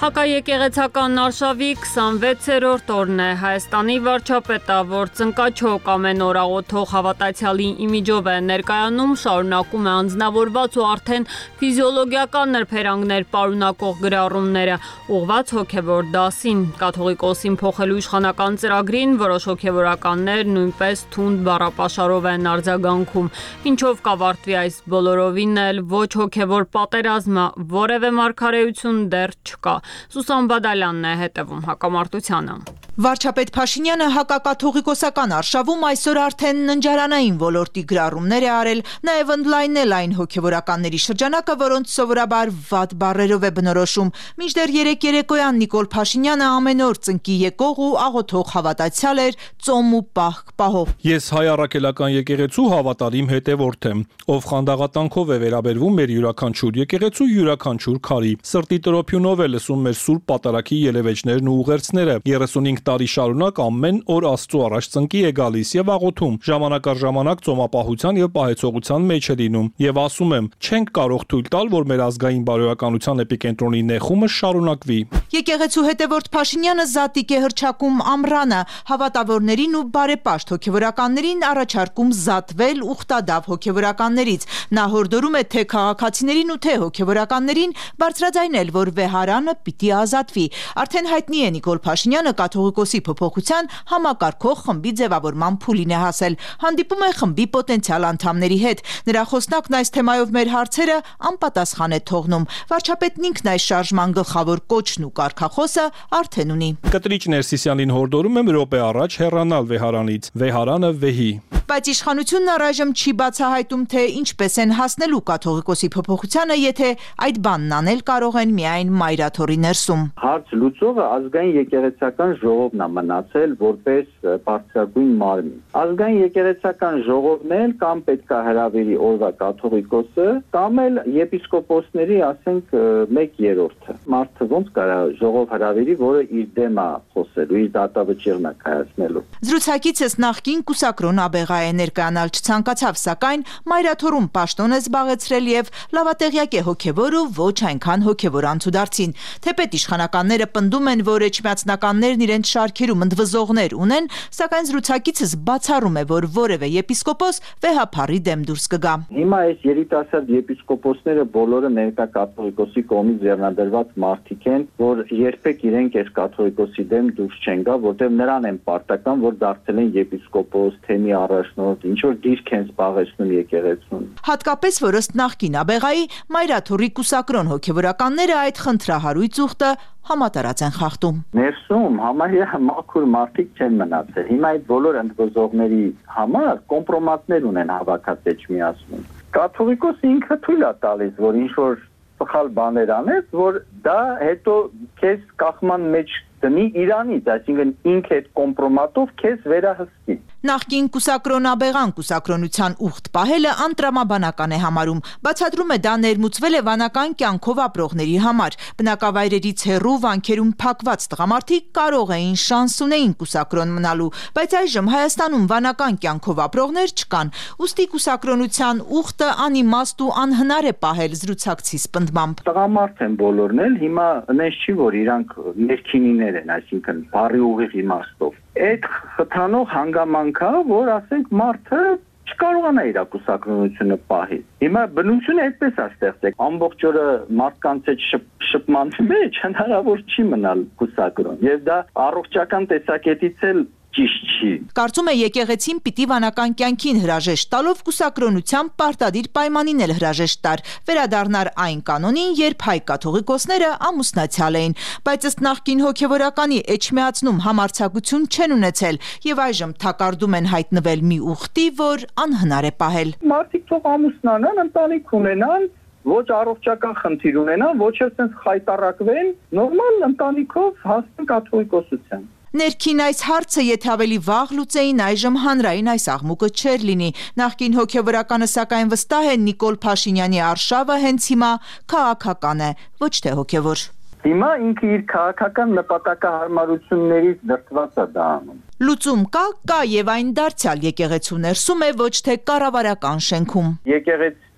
Հակաեկեղեցական արշավի 26-րդ օրն է։ Հայաստանի վարչապետը, որ ծնկաչոք ամեն օր աղոթող հավատացյալի իմիջով է ներկայանում, շարունակում է անձնավորված ու արդեն ֆիզիոլոգիական նրբերանգներ պարունակող գրառումները, ուղղված հոգևոր դասին։ Կաթողիկոսին փոխելու իշխանական ծրագրին որոշ հոգևորականներ նույնպես թունդ բառապաշարով են արձագանքում, ինչով կավարտվի այս բոլորովին էլ ոչ հոգևոր պատերազմը, որևէ մարգարեություն դեռ չկա։ Սուսան Բադալյանն է հետևում հակամարտությանը։ Վարչապետ Փաշինյանը հակակաթողիկոսական արշավում այսօր արդեն ննջարանային ոլորտի գրառումներ է արել, նաև ընդլայնել այն հոգևորականների շրջանակը, որոնց սովորաբար վատ բառերով է բնորոշում։ Մինչդեռ երեկ երեկոյան Նիկոլ Փաշինյանը ամեն օր ծնկի եկող ու աղոթող հավատացյալ էր, ծոմ ու պահք պահով։ Ես հայ առաքելական եկեղեցու հավատարիմ հետևորդ եմ, ով խանդաղատանքով է վերաբերվում մեր յուրաքանչյուր եկեղեցու յուրաքանչյուր քարի։ Սրտի տրոփյունով է լսում մեր սուրբ պատարագի ելևէջներն ու ուղերձները։ 35 տարի շարունակ ամեն օր Աստծո առաջ ծնկի է գալիս եւ աղոթում, ժամանակ առ ժամանակ ծոմապահության եւ պահեցողության մեջ է լինում եւ ասում եմ, չենք կարող թույլ տալ, որ մեր ազգային բարոյականության էպիկենտրոնի նեխումը շարունակվի։ Եկեղեցու հետևորդ Փաշինյանը զատիկ է հռչակում ամռանը, հավատավորներին ու բարեպաշտ հոգևորականներին առաջարկում զատվել ուխտադավ հոգևորականներից։ Նա հորդորում է թե քաղաքացիներին ու թե հոգևորականներին բարձրաձայնել, որ վեհարանը պիտի ազատվի։ Արդեն հայտնի է Նիկոլ Փաշինյանը կաթողիկոսի փոփոխության համակարգող խմբի ձևավորման փուլին է հասել։ Հանդիպում է խմբի պոտենցիալ անդամների հետ։ Նրա խոսնակն այս թեմայով մեր հարցերը անպատասխան է թողնում։ Վարչապետն ինքն այս շարժման գլխավոր կոչն ու կարգախոսը արդեն ունի։ Կտրիչ Ներսիսյանին հորդորում եմ րոպե առաջ հեռանալ վեհարանից։ Վեհարանը վեհի։ Բայց իշխանությունն առայժմ չի բացահայտում, թե ինչպես են հասնելու կաթողիկոսի փոփոխությանը, եթե այդ բանն անել կարող են միայն մայրաթորի ներսում։ Հարց լուծողը ազգային եկեղեցական ժողովն է մնացել որպես բարձրագույն մարմին։ Ազգային եկեղեցական ժողովն էլ կամ պետք է հրավերի օրվա կաթողիկոսը, կամ էլ եպիսկոպոսների, ասենք, 1/3-ը։ Մարդը ոնց կարա ժողով հրավերի, որը իր դեմ է խոսելու, իր դատավճիռն է կայացնելու։ Զրուցակիցս նախկին կուսակրոն Աբեղա է ներկայանալ չցանկացավ, սակայն մայրաթորում պաշտոն է զբաղեցրել եւ լավատեղյակ է հոգեվոր ու ոչ այնքան հոգեվոր անցուդարձին։ Թեպետ իշխանականները պնդում են, որ էջմիածնականներն իրենց շարքերում ընդվզողներ ունեն, սակայն զրուցակիցս բացառում է, որ որևէ եպիսկոպոս վեհափառի դեմ դուրս կգա։ Հիմա այս երիտասարդ եպիսկոպոսները բոլորը ներկա կաթողիկոսի կողմից ձեռնադրված մարդիկ են, որ երբեք իրենք այս կաթողիկոսի դեմ դուրս չեն գա, որտեղ նրան են պարտական, որ դարձել են եպիսկոպոս, թեմի առաջնորդ, ինչ որ դիրք են զբաղեցնում եկեղեցուն։ Հատկապես որ ըստ նախկին Աբեղայի մայրաթորի կուսակրոն հոգևորականները այդ խնդրահարույց ուխտը համատարած են խախտում։ Ներսում համարյա մաքուր մարդիկ չեն մնացել։ Հիմա այդ բոլոր ընդվզողների համար կոմպրոմատներ ունեն հավաքած էջմիածնում։ Կաթողիկոսը ինքը թույլ է տալիս, որ ինչ որ սխալ բաներ անես, որ դա հետո քեզ կախման մեջ դնի Իրանից, այսինքն ինքը այդ կոմպրոմատով քեզ վերահսկի։ Նախկին կուսակրոն Աբեղան կուսակրոնության ուխտ պահելը անտրամաբանական է համարում, բացատրում է դա ներմուծվել է վանական կյանքով ապրողների համար։ Բնակավայրերից հեռու վանքերում փակված տղամարդիկ կարող էին շանս ունեին կուսակրոն մնալու, բայց այժմ Հայաստանում վանական կյանքով ապրողներ չկան, ուստի կուսակրոնության ուխտը անիմաստ ու անհնար է պահել զրուցակցիս պնդմամբ։ Տղամարդ են բոլորն էլ, հիմա նենց չի, որ իրանք ներքինիներ են, այսինքն բարի ուղիղ իմաստով։ Այդ խթանող հանգամանքա, որ ասենք մարդը չկարողանա իր կուսակրոնությունը պահել։ Հիմա բնությունը այդպես է ստեղծել։ Ամբողջ օրը մարդկանց հետ շփման մեջ հնարավոր չի մնալ կուսակրոն։ Եվ դա առողջական տեսակետից էլ ճիշտ չի։ Կարծում է եկեղեցին պիտի վանական կյանքին հրաժեշտ տալով կուսակրոնության պարտադիր պայմանին էլ հրաժեշտ տար, վերադառնար այն կանոնին, երբ հայ կաթողիկոսները ամուսնացյալ էին, բայց ըստ նախկին հոգևորականի էջմիածնում համարձակություն չեն ունեցել եւ այժմ թակարդում են հայտնվել մի ուխտի, որ անհնար է պահել։ Մարդիկ թող ամուսնանան, ընտանիք ունենան, ոչ առողջական խնդիր ունենան, ոչ էլ sense խայտարակվեն, նորմալ ընտանիքով հասնեն կաթողիկոսության։ Ներքին այս հարցը եթե ավելի վաղ լուծեին, այժմ հանրային այս աղմուկը չէր լինի։ Նախկին հոգևորականը սակայն վստահ է Նիկոլ Փաշինյանի արշավը հենց հիմա քաղաքական է, ոչ թե հոգևոր։ Հիմա ինքը իր քաղաքական նպատակահարմարություններից դրդված է դա անում։ Լուծում կա եւ այն դարձյալ եկեղեցու ներսում է, ոչ թե կառավարական շենքում։ Եկեղեցու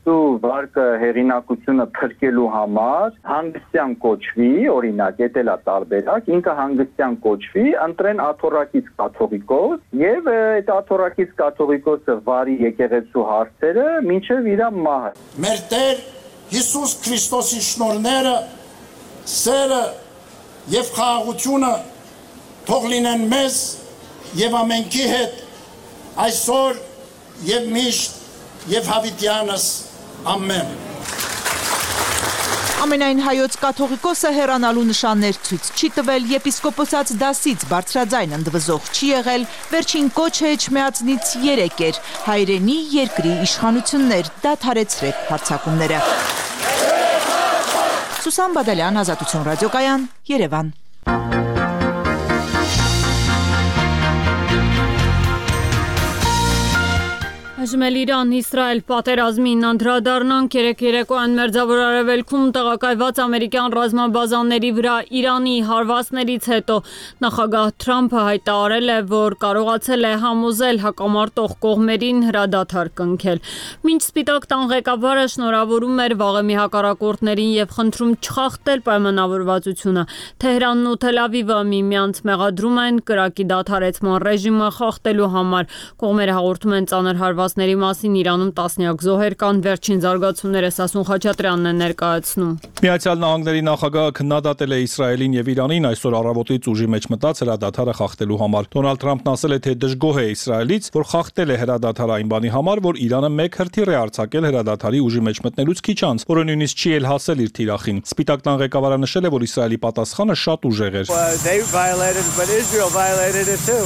վարկը հեղինակությունը փրկելու համար հանգստյան կոչվի, օրինակ, դա է տարբերակ, ինքը հանգստյան կոչվի, ընտրեն աթոռակից կաթողիկոս եւ այդ աթոռակից կաթողիկոսը վարի եկեղեցու հարցերը մինչեւ իր մահը։ Մեր Տեր Հիսուս Քրիստոսի շնորհները, սերը եւ խաղաղությունը թող լինեն մեզ եւ ամենքի հետ այսօր եւ միշտ եւ հավիտյանս ամեն։ Ամենայն հայոց կաթողիկոսը հեռանալու նշաններ ցույց չի տվել, եպիսկոպոսած դասից բարձրաձայն ընդվզող չի եղել, վերջին կոչը էջմիածնից 3 էր, հայրենի երկրի իշխանություններ, դադարեցրեք հարձակումները։ Սուսան Բադալյան, Ազատություն ռադիոկայան, Երևան։ Հաշմել Իրան-Իսրայել պատերազմին անդրադառնանք երեկոյան Մերձավոր Արևելքում տեղակայված ամերիկյան ռազմաբազաների վրա Իրանի հարվածներից հետո նախագահ Թրամփը հայտարարել է, որ կարողացել է համոզել հակամարտող կողմերին հրադադար կնքել։ Մինչ Սպիտակ տան ղեկավարը շնորհավորում էր վաղեմի հակառակորդներին եւ խնդրում չխախտել պայմանավորվածությունը, Թեհրանն ու Թել Ավիվը միմյանց մեղադրում են կրակի դադարեցման ռեժիմը խախտելու համար։ Կողմերը հաղորդում են ծանր հարվածների մասին, Իրանում տասնյակ զոհեր կան, վերջին զարգացումները Սասուն Խաչատրյանն է ներկայացնում։ Միացյալ Նահանգների նախագահը քննադատել է Իսրայելին եւ Իրանին այսօր առավոտից ուժի մեջ մտած հրադադարը խախտելու համար։ Դոնալդ Թրամփն ասել է, թե դժգոհ է Իսրայելից, որ խախտել է հրադադարը այն բանի համար, որ Իրանը մեկ հրթիռ է արձակել հրադադարի ուժի մեջ մտնելուց քիչ անց, որը նույնիսկ չի էլ հասել իր թիրախին։ Սպիտակ տան ղեկավարը նշել է, որ Իսրայելի պատասխանը շատ ուժեղ էր։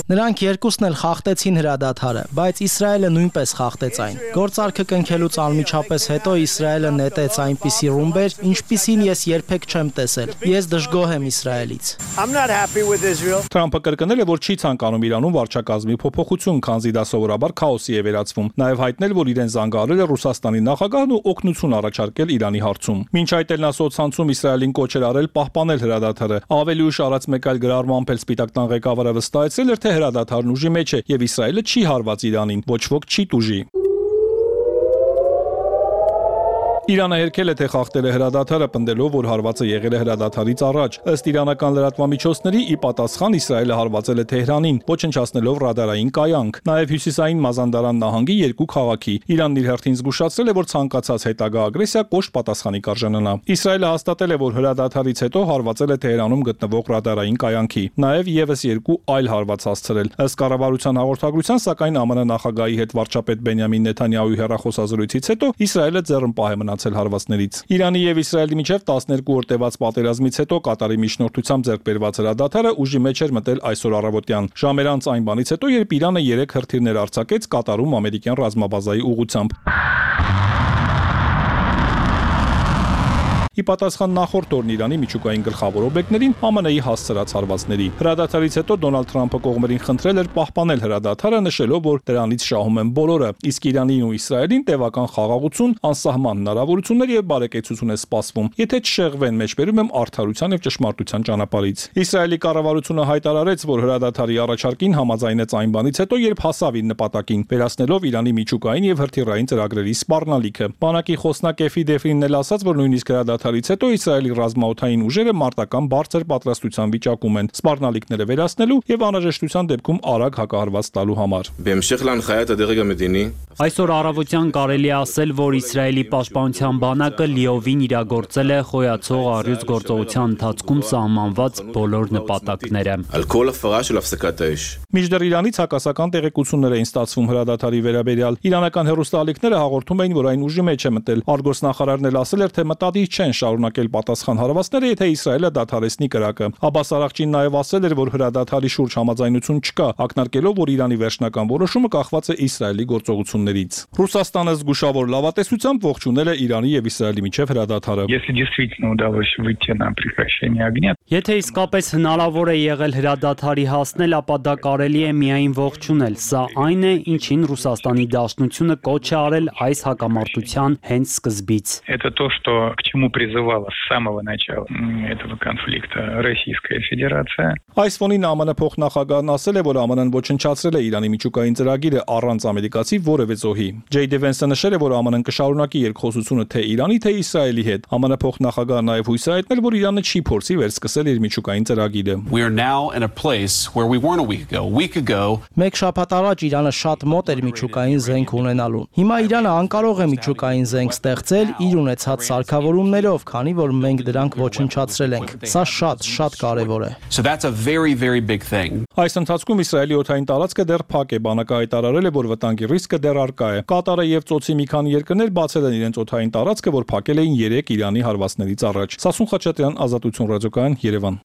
Նրանք երկուսն էլ խախտեցին հրադադարը, բայց Իսրայելը նույնպես խախտեց այն։ Գործարքը կնքելուց անմիջապես հետո Իսրայելը նետեց այնպիսի ռումբեր, ինչպիսին ես երբեք չեմ տեսել։ Ես դժգոհ եմ Իսրայելից։ Թրամփը կրկնել է, որ չի ցանկանում Իրանում վարչակազմի փոփոխություն, քանզի դա սովորաբար քաոսի է վերածվում։ Նաև հայտնել, որ իրեն զանգահարել է Ռուսաստանի նախագահն ու օգնություն առաջարկել Իրանի հարցում։ Մինչ այդ էլ նա սոցցանցում Իսրայելին կոչ էր արել պահպանել հրադադարը։ Ավելի ուշ արած մեկ այլ գրառմամբ էլ Սպիտակ տան ղեկավարը վստահեցրել էր, թե հրադադարն ուժի մեջ է եւ Իսրայելը չի հարված Իրանին, ոչ ոք չի տուժի։ Իրանը հերքել է, թե խախտել է հրադադարը, պնդելով, որ հարվածը եղել է հրադադարից առաջ։ Ըստ իրանական լրատվամիջոցների, ի պատասխան Իսրայելը հարվածել է Թեհրանին, ոչնչացնելով ռադարային կայանք, նաև հյուսիսային Մազանդարան նահանգի երկու քաղաքի։ Իրանն իր հերթին զգուշացրել է, որ ցանկացած հետագա ագրեսիա կոշտ պատասխանի կարժանանա։ Իսրայելը հաստատել է, որ հրադադարից հետո հարվածել է Թեհրանում գտնվող ռադարային կայանքի, նաև եւս երկու այլ հարված հասցրել։ Ըստ կառավարության հաղորդագրության, սակայն ԱՄՆ նախագահի հետ վարչապետ Բենյամին Նեթանյահուի հեռախոսազրույցից հետո Իսրայելը ձեռնպահ է հարվածներից։ Իրանի եւ Իսրայելի միջև 12 օր տևած պատերազմից հետո Կատարի միջնորդությամբ ձեռք բերված հրադադարը ուժի մեջ էր մտել այսօր առավոտյան։ Ժամեր անց այն բանից հետո, երբ Իրանը 3 հրթիռներ արձակեց Կատարում ամերիկյան ռազմաբազայի ուղղությամբ։ Ի պատասխան նախորդ օրն Իրանի միջուկային գլխավոր օբյեկտներին ԱՄՆ-ի հասցրած հարվածների։ Հրադադարից հետո Դոնալդ Թրամփը կողմերին խնդրել էր պահպանել հրադադարը, նշելով, որ դրանից շահում են բոլորը, իսկ Իրանին ու Իսրայելին տևական խաղաղություն, անսահման հնարավորություններ եւ բարեկեցություն է սպասվում, եթե չշեղվեն մեջբերում եմ արդարության եւ ճշմարտության ճանապարհից։ Իսրայելի կառավարությունը հայտարարեց, որ հրադադարի առաջարկին համաձայնեց այն բանից հետո, երբ հասավ իր նպատակին, վերացնելով Իրանի միջուկային եւ հրթիռային ծրագրերի սպառնալիքը։ Բանակի խոսնակ Էֆի Դեֆրինն էլ ասաց, որ նույնիսկ հրադադարից հետո Իսրայելի ռազմաօդային ուժերը մարտական բարձր պատրաստության վիճակում են սպառնալիքները վերացնելու եւ անհրաժեշտության դեպքում արագ հակահարված տալու համար։ Այսօր առավոտյան կարելի է ասել, որ Իսրայելի պաշտպանության բանակը լիովին իրագործել է խոյացող առյուծ գործողության ընթացքում սահմանված բոլոր նպատակները։ Մինչդեռ Իրանից հակասական տեղեկություններ էին ստացվում հրադադարի վերաբերյալ։ Իրանական հեռուստաալիքները հաղորդում էին, որ այն ուժի մեջ է մտել։ Արգոսնախարարն էլ ասել էր, թե մտադիր չեն շարունակել պատասխան հարվածները, եթե Իսրայելը դադարեցնի կրակը։ Աբաս Արաղչին նաև ասել էր, որ հրադադարի շուրջ համաձայնություն չկա, ակնարկելով, որ Իրանի վերջնական որոշումը կախված է Իսրայելի գործողություններից։ Ռուսաստանը զգուշավոր լավատեսությամբ ողջունել է Իրանի եւ Իսրայելի միջև հրադադարը։ Եթե իսկապես հնարավոր է եղել հրադադարի հասնել, ապա դա կարելի է միայն ողջունել։ Սա այն է, ինչին Ռուսաստանի Դաշնությունը կոչ է արել այս հակամարտության հենց սկզբից։ призывала с самого начала этого конфликта Российская Федерация. Այս ֆոնին ԱՄՆ փոխնախագահն ասել է, որ ԱՄՆ-ն ոչնչացրել է Իրանի միջուկային ծրագիրը առանց ամերիկացի որևէ զոհի։ Ջեյ Դևենսը նշել է, որ ԱՄՆ-ն կշարունակի երկխոսությունը թե Իրանի, թե Իսրայելի հետ։ ԱՄՆ փոխնախագահը նաև հույս է հայտնել, որ Իրանը չի փորձի վերսկսել իր միջուկային ծրագիրը։ We are now in a place where we weren't a week ago. A week ago, Մեկ շաբաթ առաջ Իրանը շատ մոտ էր միջուկային զենք ունենալուն։ Հիմա Իրանը անկարող է միջուկային զենք ստեղծել իր ունեցած սարքավորումներով, քանի որ մենք դրանք ոչնչացրել ենք։ Սա շատ կարևոր է։ So that's a very big thing. Այս ընթացքում Իսրայելի օդային տարածքը դեռ փակ է, բանակը հայտարարել է, որ վտանգի ռիսկը դեռ առկա է։ Կատարը եւ ծոցի մի քանի երկրներ բացել են իրենց օդային տարածքը, որ փակել էին 3 Իրանի հարվածներից առաջ։ Սասուն Խաչատրյան, Ազատություն ռադիոկայան, Երևան։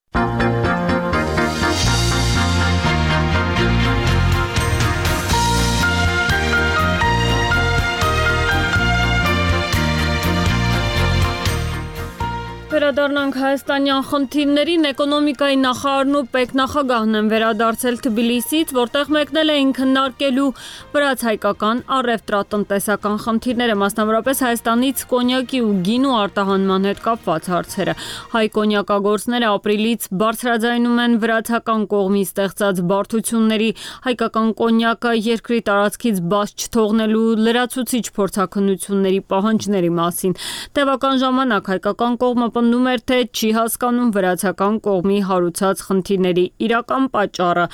վերադառնանք հայաստանյան խնդիրներին, էկոնոմիկայի նախարարն ու պետնախագահն են վերադարձել Թբիլիսից, որտեղ մեկնել էին քննարկելու վրաց-հայկական առևտրատնտեսական խնդիրները, մասնավորապես Հայաստանից կոնյակի ու գինու արտահանման հետ կապված հարցերը։ Հայ կոնյակագործները ապրիլից բարձրաձայնում են վրացական կողմի ստեղծած բարդությունների, հայկական կոնյակը երկրի տարածքից բաց չթողնելու լրացուցիչ փորձաքննությունների պահանջների մասին։ Տևական ժամանակ հայկական կողմը պնդում էր, թե չի հասկանում վրացական կողմի հարուցած խնդիրների իրական պատճառը։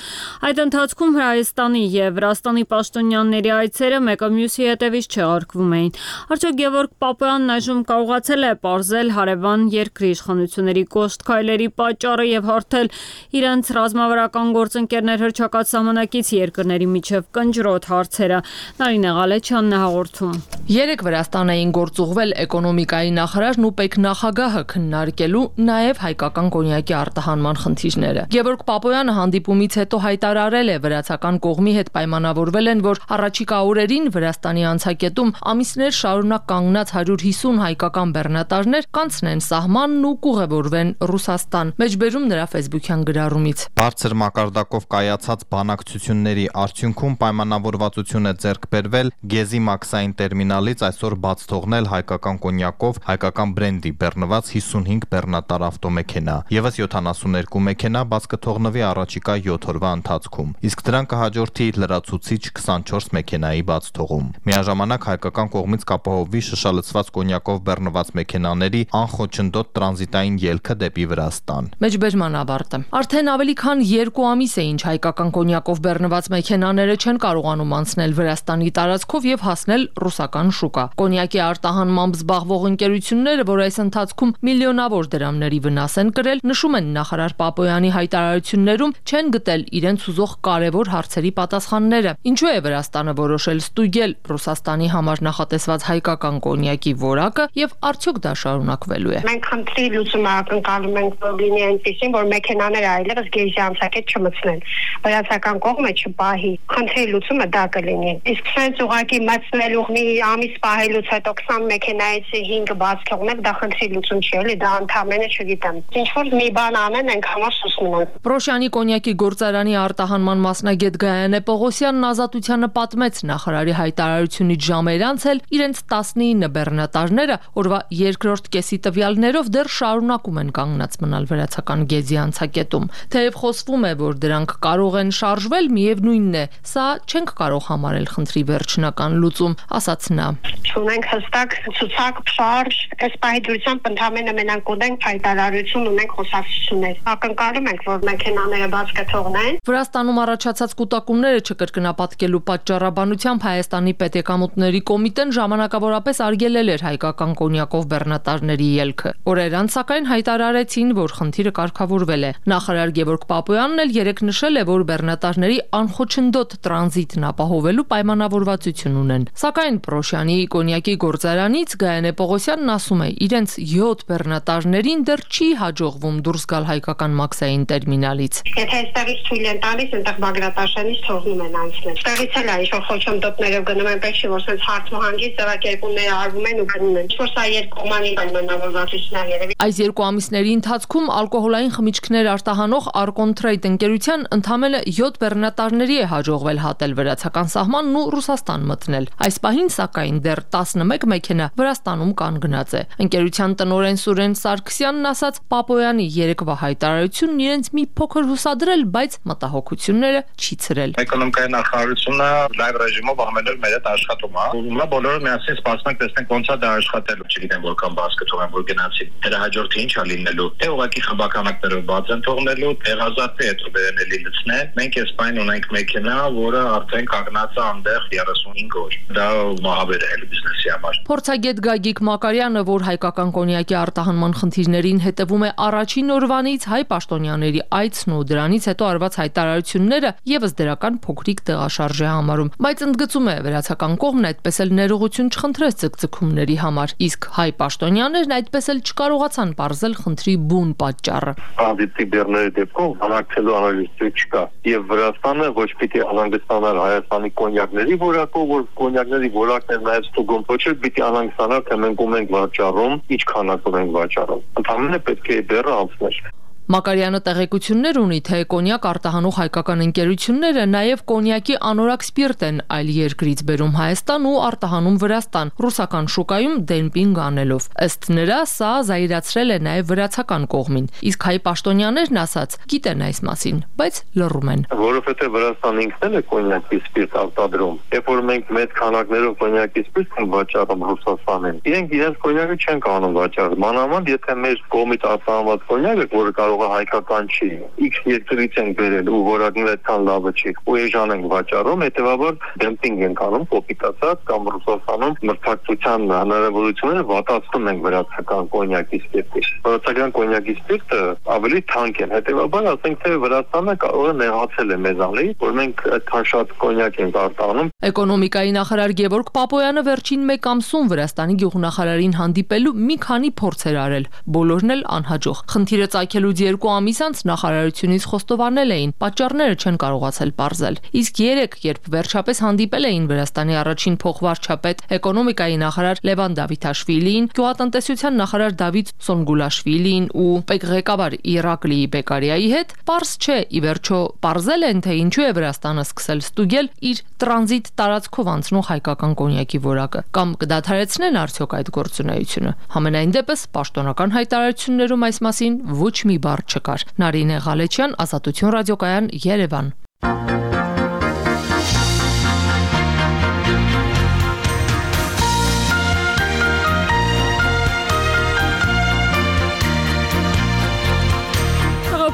Այդ ընթացքում Հայաստանի եւ Վրաստանի պաշտոնյաների այցերը մեկը մյուսի հետևից չեղարկվում էին։ Արդյոք Գևորգ Պապոյանն այժմ կարողացել է պարզել հարևան երկրի իշխանությունների կոշտ քայլերի պատճառը եւ հարթել իրենց ռազմավարական գործընկերներ հռչակած սահմանակից երկրների միջև կնճռոտ հարցերը։ Նարինե Ղալեչյանն է հաղորդում։ Երեք Վրաստան էին գործուղվել էկոնոմիկայի նախարարն ու պետնախագահը քննարկելու նաև հայկական կոնյակի արտահանման խնդիրները։ Գևորգ Պապոյանը հանդիպումից հետո հայտարարել է, վրացական կողմի հետ պայմանավորվել են, որ առաջիկա օրերին Վրաստանի անցակետում ամիսներ շարունակ կանգնած 150 հայկական բեռնատարներ կանցնեն սահմանն ու կուղևորվեն Ռուսաստան։ Մեջբերում նրա ֆեյսբուքյան գրառումից։ Բարձր մակարդակով կայացած բանակցությունների արդյունքում պայմանավորվածություն է ձեռք բերվել Գեզի մաքսային տերմինալից այսօր բաց թողնել հայկական կոնյակով հայկական բրենդի բեռնված 55 բեռնատար ավտոմեքենա, եւս 72 մեքենա բաց կթողնվի առաջիկա 7 օրվա ընթացքում, իսկ դրան կհաջորդի լրացուցիչ 24 մեքենայի բաց թողում։ Միաժամանակ հայկական կողմից կապահովվի շշալցված կոնյակով բեռնված մեքենաների անխոչնդոտ տրանզիտային ելքը դեպի Վրաստան։ Մեջբերման ավարտը։ Արդեն ավելի քան 2 ամիս է, ինչ հայկական կոնյակով բեռնված մեքենաները չեն կարողանում անցնել Վրաստանի տարածքով եւ հասնել ռուսական շուկա։ Կոնյակի արտահանմամբ զբաղվող ընկերությունները, որ այս ընթացքում միլիոնավոր դրամների վնաս են կրել, նշում են նախարար Պապոյանի հայտարարություններում չեն գտել իրենց ուզող կարևոր հարցերի պատասխանները։ Ինչու է Վրաստանը որոշել ստուգել Ռուսաստանի համար նախատեսված հայկական կոնյակի որակը եւ արդյոք դա շարունակվելու է։ Մենք խնդրի լուծումը ակնկալում ենք, որ լինի այնպեսին, որ մեքենաները այլևս գեժի անցակետ չմցնեն, վրացական կողմը չպահի։ Խնդրի լուծումը դա կլինի։ Իսկ սենց ուղղակի մցնելու մի ամիս պահելուց հետո 20 մեքենայից 5-ը բաց թողնել, դա խնդրի լուծում չի, էլի դա ընդհանրապես չգիտեմ։ Ինչ որ մի բան անեն, ենք համար սուսնում են։ Պրոշյանի կոնյակի գործարանի արտահանման մասնագետ Գայանե Պողոսյանն Ազատությանը պատմեց նախարարի հայտարարությունից ժամեր անց էլ իրենց 19 բեռնատարները օրվա երկրորդ կեսի տվյալներով դեռ շարունակում են կանգնած մնալ վրացական Գեզի անցակետում։ Թեև խոսվում է, որ դրանք կարող են շարժվել, միևնույնն է, սա չենք կարող համարել խնդրի վերջնական լուծում, ասաց նա։ Չունենք հստակ ցուցակ, շարժ, այս պահիդրությամբ ընդհանրապես մենակ ունենք հայտարարություն, ունենք խոսակցություններ։ Ակնկալում ենք, որ մեքենաները բաց կթողնեն։ Վրաստանում առաջացած կուտակումները չկրկնապատկելու պատճառաբանությամբ Հայաստանի պետեկամուտների կոմիտեն ժամանակավորապես արգելել էր հայկական կոնյակով բեռնատարների ելքը։ Օրեր անց սակայն հայտարարեցին, որ խնդիրը կարգավորվել է։ Նախարար Գևորգ Պապոյանն էլ երեկ նշել է, որ բեռնատարների անխոչնդոտ տրանզիտն ապահովելու պայմանավորվածություն ունեն։ Սակայն Պրոշյանի կոնյակի գործարանից Գայանե Պողոսյանն ասում է, իրենց 7 բեռնատարներին դեռ չի հաջողվում դուրս գալ հայկական մաքսային տերմինալից։ Եթե այստեղից թույլ են տալիս, այնտեղ Բագրատաշյանից թողնում են անցնել։ Այստեղից էլ է ինչ-որ խոչընդոտներով գնում են, պետք չի որ sense հարցմահանգի ձևակերպումները արվում են ու գնում են։ Ինչ-որ սա երկկողմանի պայմանավորվածություն է երևի։ Այս 2 ամիսների ընթացքում ալկոհոլային խմիչքներ արտահանող Arcontrade ընկերության ընդամենը 7 բեռնատարների է հաջողվել հատել վրացական սահմանն ու Ռուսաստան մտնել։ Այս պահին սակայն դեռ 11 մեքենա Վրաստանում կանգնած է։ Ընկերության տնօրեն Սուրեն Սարգսյանն ասաց, Պապոյանի երեկվա հայտարարությունն իրենց մի փոքր հուսադրել, բայց մտահոգությունները չի ցրել։ Էկոնոմիկայի նախարարությունը լայվ ռեժիմով ամեն օր մեր հետ աշխատում է։ Ուրեմն բոլորը միասին սպասենք, տեսնենք ոնց է դա աշխատելու։ Չգիտեմ որքան բաց կթողեն, որ գնացի։ Դրա հաջորդը ինչ է լինելու։ Թե ուղղակի խմբականակներով բաց են թողնելու, տեղազատի հետո բերենելի լցնեն։ Մենք այս պայն ունենք մեքենա, որը արդեն կանգնած է այնտեղ 35 օր։ Դա մահաբեր է բիզնեսի համար։ Փորձագետ Գագիկ Մակարյանը, որ հայկական կոնյակի արտահանման խնդիրներին հետևում է առաջին օրվանից, հայ պաշտոնյաների այցն ու դրանից հետո արված հայտարարությունները եւս դրական փոքրիկ տեղաշարժ է համարում, բայց ընդգծում է վրացական կողմն այդպես էլ ներողություն չխնդրեց ձգձգումների համար, իսկ հայ պաշտոնյաներն այդպես էլ չկարողացան պարզել խնդրի բուն պատճառը։ Տրանզիտի բեռների դեպքում անարգելու անալիզը չկա, եւ Վրաստանը ոչ պիտի անհանգստանար Հայաստանի կոնյակների որակով, որ կոնյակների որակն է նաեւ ստուգում, ոչ էլ պիտի անհանգստանար, թե մենք ունենք վաճառում, ինչ քանակով ենք վաճառում։ Ընդհանրապես պետք է դեռ անցներ։ Մակարյանը տեղեկություններ ունի, թե կոնյակ արտահանող հայկական ընկերությունները նաև կոնյակի անորակ սպիրտ են այլ երկրից բերում Հայաստան ու արտահանում Վրաստան, ռուսական շուկայում դեմպինգ անելով։ Ըստ նրա, սա զայրացրել է նաև վրացական կողմին, իսկ հայ պաշտոնյաներն ասած գիտեն այս մասին, բայց լռում են։ Որովհետև Վրաստանը ինքն էլ է կոնյակի սպիրտ արտադրում։ Երբ որ մենք մեծ քանակներով կոնյակի սպիրտ ենք վաճառում Ռուսաստանին, իրենք իրենց կոնյակը չեն կարող վաճառել։ Մանավանդ եթե մեր կողմից արտահանված կոնյակը, որը կարող հայկական չի, X երկրից ենք բերել ու որակն այդքան լավը չի, ու էժան ենք վաճառում, հետևաբար դեմպինգ ենք անում, կոպիտացած կամ Ռուսաստանում մրցակցության հնարավորությունները վատացնում ենք վրացական կոնյակի սպիրտի։ Վրացական կոնյակի սպիրտը ավելի թանկ են, հետևաբար ասենք թե Վրաստանը կարող է նեղացել է մեզանից, որ մենք այդքան շատ կոնյակ ենք արտահանում։ Էկոնոմիկայի նախարար Գևորգ Պապոյանը վերջին մեկ ամսում Վրաստանի գյուղնախարարին հանդիպելու մի քանի փորձեր արել, բոլորն էլ անհաջող։ Խնդիրը ծագելուց 2 ամիս անց նախարարությունից խոստովանել էին, պատճառները չեն կարողացել պարզել։ Իսկ 3, երբ վերջապես հանդիպել էին Վրաստանի առաջին փոխվարչապետ, էկոնոմիկայի նախարար Լևան Դավիթաշվիլիին, գյուղատնտեսության նախարար Դավիթ Սոնգուլաշվիլիին ու ՊԵԿ ղեկավար Իրակլի Բեկարիայի հետ, պարզ չէ, ի վերջո պարզել են, թե ինչու է Վրաստանը սկսել ստուգել իր տրանզիտ տարածքով անցնող հայկական կոնյակի որակը, կամ կդադարեցնեն արդյոք այդ գործունեությունը։ Համենայն դեպս պաշտոնական հայտարարություններում այս մասին ոչ մի բառ չկար։ Նարինե Ղալեչյան, Ազատություն ռադիոկայան, Երևան։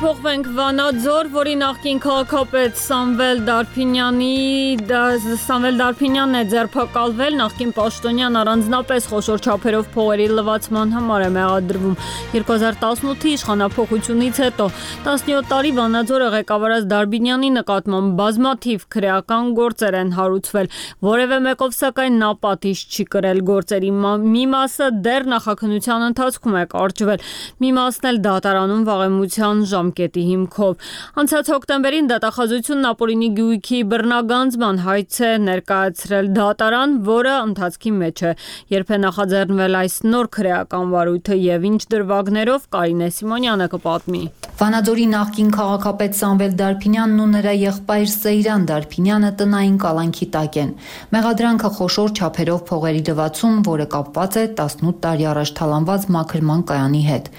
Փոխվենք Վանաձոր, որի նախկին քաղաքապետ Սամվել Դարփինյանն է ձերբակալվել, նախկին պաշտոնյան առանձնապես խոշոր չափերով փողերի լվացման համար է մեղադրվում։ 2018-ի իշխանափոխությունից հետո 17 տարի Վանաձորը ղեկավարած Դարբինյանի նկատմամբ բազմաթիվ քրեական գործեր են հարուցվել, որևէ մեկով սակայն նա պատիժ չի կրել, գործերի մի մասը դեռ նախաքննության ընթացքում է կարճվել, մի մասն էլ դատարանում վաղեմության ժամկետի հիմքով։ Անցած հոկտեմբերին դատախազությունն Ապոլինի գյուղի բռնագանձման հայց է ներկայացրել դատարան, որը ընթացքի մեջ է։ Երբ է նախաձեռնվել այս նոր քրեական վարույթը եւ ինչ դրվագներով, Կարինե Սիմոնյանը կպատմի։ Վանաձորի նախկին քաղաքապետ Սամվել Դարփինյանն ու նրա եղբայր Սեյրան Դարփինյանը տնային կալանքի տակ են։ Մեղադրանքը խոշոր չափերով փողերի լվացում, որը կապված է 18 տարի առաջ թալանված մաքրման կայանի հետ։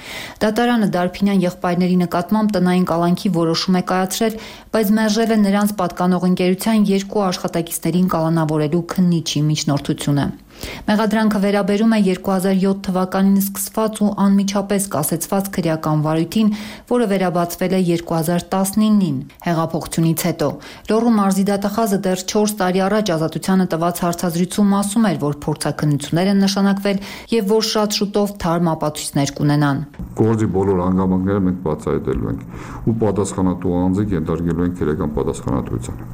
Դատարանը Դարփինյան եղբայրների նկատմամբ տնային կալանքի որոշում է կայացրել, բայց մերժել է նրանց պատկանող ընկերության 2 աշխատակիցներին կալանավորելու քննիչի միջնորդությունը։ Մեղադրանքը վերաբերում է 2007 թվականին սկսված ու անմիջապես կասեցված քրեական վարույթին, որը վերաբացվել է 2019-ին հեղափոխությունից հետո։ Լոռու մարզի դատախազը դեռ 4 տարի առաջ Ազատությանը տված հարցազրույցում ասում էր, որ փորձաքննություններ են նշանակվել եւ որ շատ շուտով թարմ ապացույցներ կունենան։ Գործի բոլոր հանգամանքները մենք բացահայտելու ենք ու պատասխանատու անձը ենթարկելու ենք քրեական պատասխանատվության։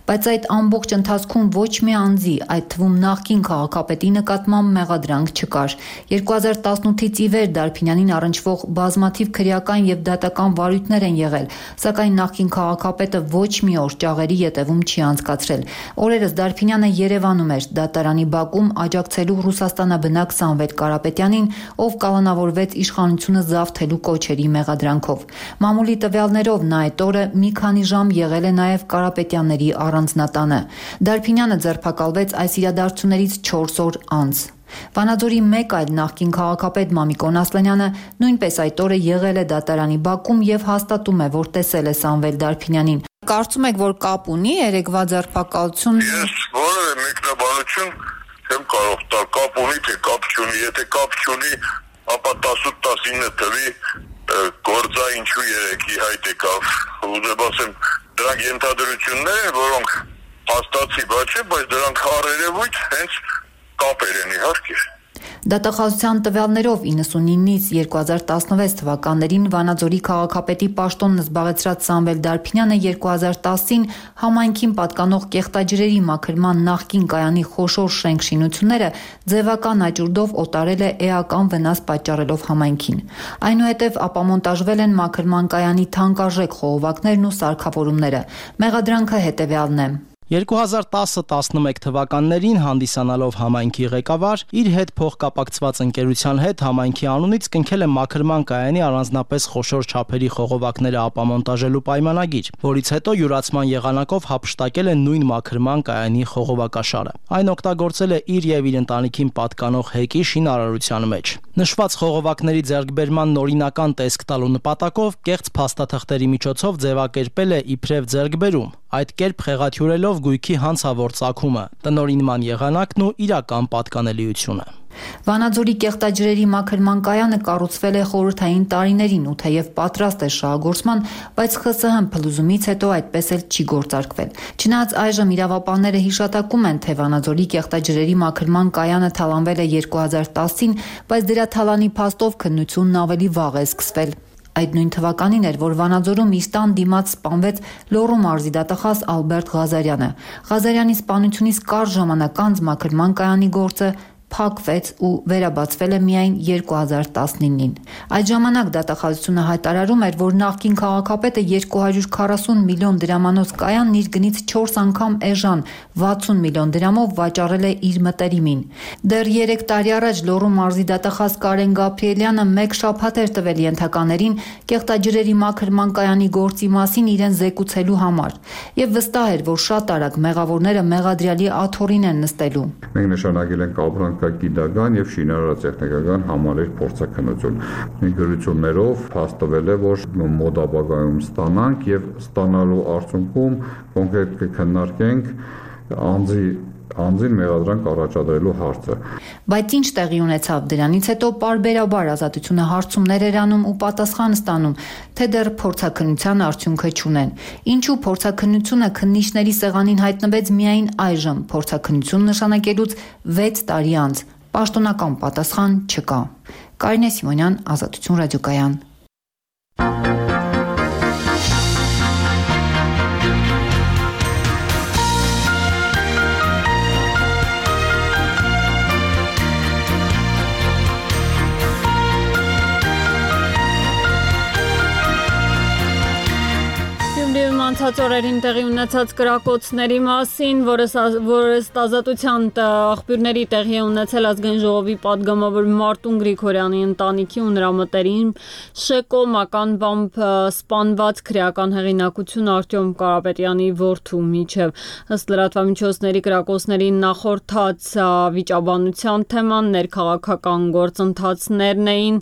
Բայց այդ ամբողջ ընթացքում ոչ մի անձի, այդ թվում նախկին քաղաքապետի նկատմամբ մեղադրանք չկար։ 2018-ից ի վեր Դարփինյանին առնչվող բազմաթիվ քրեական եւ դատական վարույթներ են եղել, սակայն նախկին քաղաքապետը ոչ մի օր ճաղերի ետևում չի անցկացրել։ Օրերս Դարփինյանը Երևանում էր, դատարանի բակում աջակցելու Ռուսաստանաբնակ Սամվել Կարապետյանին, ով կալանավորվեց իշխանությունը զավթելու կոչերի մեղադրանքով։ Մամուլի տվյալներով նա այդ օրը մի քանի ժամ եղել է նաեւ Կարապետյանների առանձնատանը։ Դարփինյանը ձերբակալվեց այս իրադարձություններից 4 օր անց։ Վանաձորի մեկ այլ նախկին քաղաքապետ Մամիկոն Ասլանյանը նույնպես այդ օրը եղել է դատարանի բակում եւ հաստատում է, որ տեսել է Սամվել Դարփինյանին։ Կարծում եք, որ կապ ունի երեկվա ձերբակալությունը։ Ես որևէ մեկնաբանություն չեմ կարող տալ, կապ ունի թե կապ չունի, եթե կապ չունի, ապա 18-19 թվի գործա ինչու երեկի հայտ եկավ։ Ուզեմ ասեմ, դրանք ենթադրություններ են, որոնք հաստատի բաց չէ, բայց դրանք առերևույթ հենց կապեր են իհարկե։ Դատախազության տվյալներով 99-ից 2016 թվականներին Վանաձորի քաղաքապետի պաշտոնն զբաղեցրած Սամվել Դարփինյանը 2010-ին համայնքին պատկանող կեղտաջրերի մաքրման նախկին կայանի խոշոր շենքշինությունները ձևական աճուրդով օտարել է էական վնաս պատճառելով համայնքին։ Այնուհետև ապամոնտաժվել են մաքրման կայանի թանկարժեք խողովակներն ու սարքավորումները։ Մեղադրանքը հետևյալն է։ 2010-11 թվականներին հանդիսանալով համայնքի ղեկավար, իր հետ փոխկապակցված ընկերության հետ համայնքի անունից կնքել է մաքրման կայանի առանձնապես խոշոր չափերի խողովակները ապամոնտաժելու պայմանագիր, որից հետո յուրացման եղանակով հափշտակել է նույն մաքրման կայանի խողովակաշարը։ Այն օգտագործել է իր եւ իր ընտանիքին պատկանող հեկի շինարարության մեջ։ Նշված խողովակների ձեռքբերման նորինական տեսք տալու նպատակով կեղծ փաստաթղթերի միջոցով ձևակերպել է իբրև ձեռքբերում, այդ կերպ խեղաթյուրելով գույքի հանցավոր ծագումը, տնօրինման եղանակն ու իրական պատկանելիությունը։ Վանաձորի կեղտաջրերի մաքրման կայանը կառուցվել է խորհրդային տարիներին ու թեև պատրաստ է շահագործման, բայց ԽՍՀՄ փլուզումից հետո այդպես էլ չի գործարկվել։ Չնայած այժմ իրավապահները հիշատակում են, թե Վանաձորի կեղտաջրերի մաքրման կայանը թալանվել է 2010-ին, բայց դրա թալանի փաստով քննությունն ավելի վաղ է սկսվել։ Այդ նույն թվականին էր, որ Վանաձորում իր տան դիմաց սպանվեց Լոռու մարզի դատախազ Ալբերտ Ղազարյանը։ Ղազարյանի սպանությունից կարճ ժամանակ անց մաքրման կայանի գործը փակվեց ու վերաբացվել է միայն 2019-ին։ Այդ ժամանակ դատախազությունը հայտարարում էր, որ նախկին քաղաքապետը 240 միլիոն դրամանոց կայանն իր գնից 4 անգամ էժան 60 միլիոն դրամով վաճառել է իր մտերիմին։ Դեռ 3 տարի առաջ Լոռու մարզի դատախազ Կարեն Գաբրիելյանը 1 շաբաթ էր տվել ենթականերին կեղտաջրերի մաքրման կայանի գործի մասին իրեն զեկուցելու համար եւ վստահ էր, որ շատ արագ մեղավորները մեղադրյալի աթոռին են նստելու։ Մենք նշանակել ենք ապրանքագիտական եւ շինարարատեխնիկական համալիր փորձաքննություն։ Գրություններով փաստվել է, որ մոտ ապագայում ստանանք եւ ստանալու արդյունքում կոնկրետ կքննարկենք անձին մեղադրանք առաջադրելու հարցը։ Բայց ինչ տեղի ունեցավ դրանից հետո պարբերաբար ազատությունը հարցումներ էր անում ու պատասխան ստանում, թե դեռ փորձաքննության արդյունքը չունեն։ Ինչու փորձաքննությունը քննիչների սեղանին հայտնվեց միայն այժմ, փորձաքննություն նշանակելուց 6 տարի անց։ Պաշտոնական պատասխան չկա։ Կարինե Սիմոնյան, Ազատություն ռադիոկայան։ Անցած օրերին տեղի ունեցած կրակոցների մասին, որը ազատության աղբյուրների տեղի է ունեցել ազգային ժողովի պատգամավոր Մարտուն Գրիգորյանի ընտանիքի ու նրա մտերիմ Շեկո մականվամբ սպանված քրեական հեղինակություն Արտյոմ Կարապետյանի որդու միջև։ Ըստ լրատվամիջոցների կրակոցների նախորդած վիճաբանության թեման ներքաղաքական գործընթացներն էին,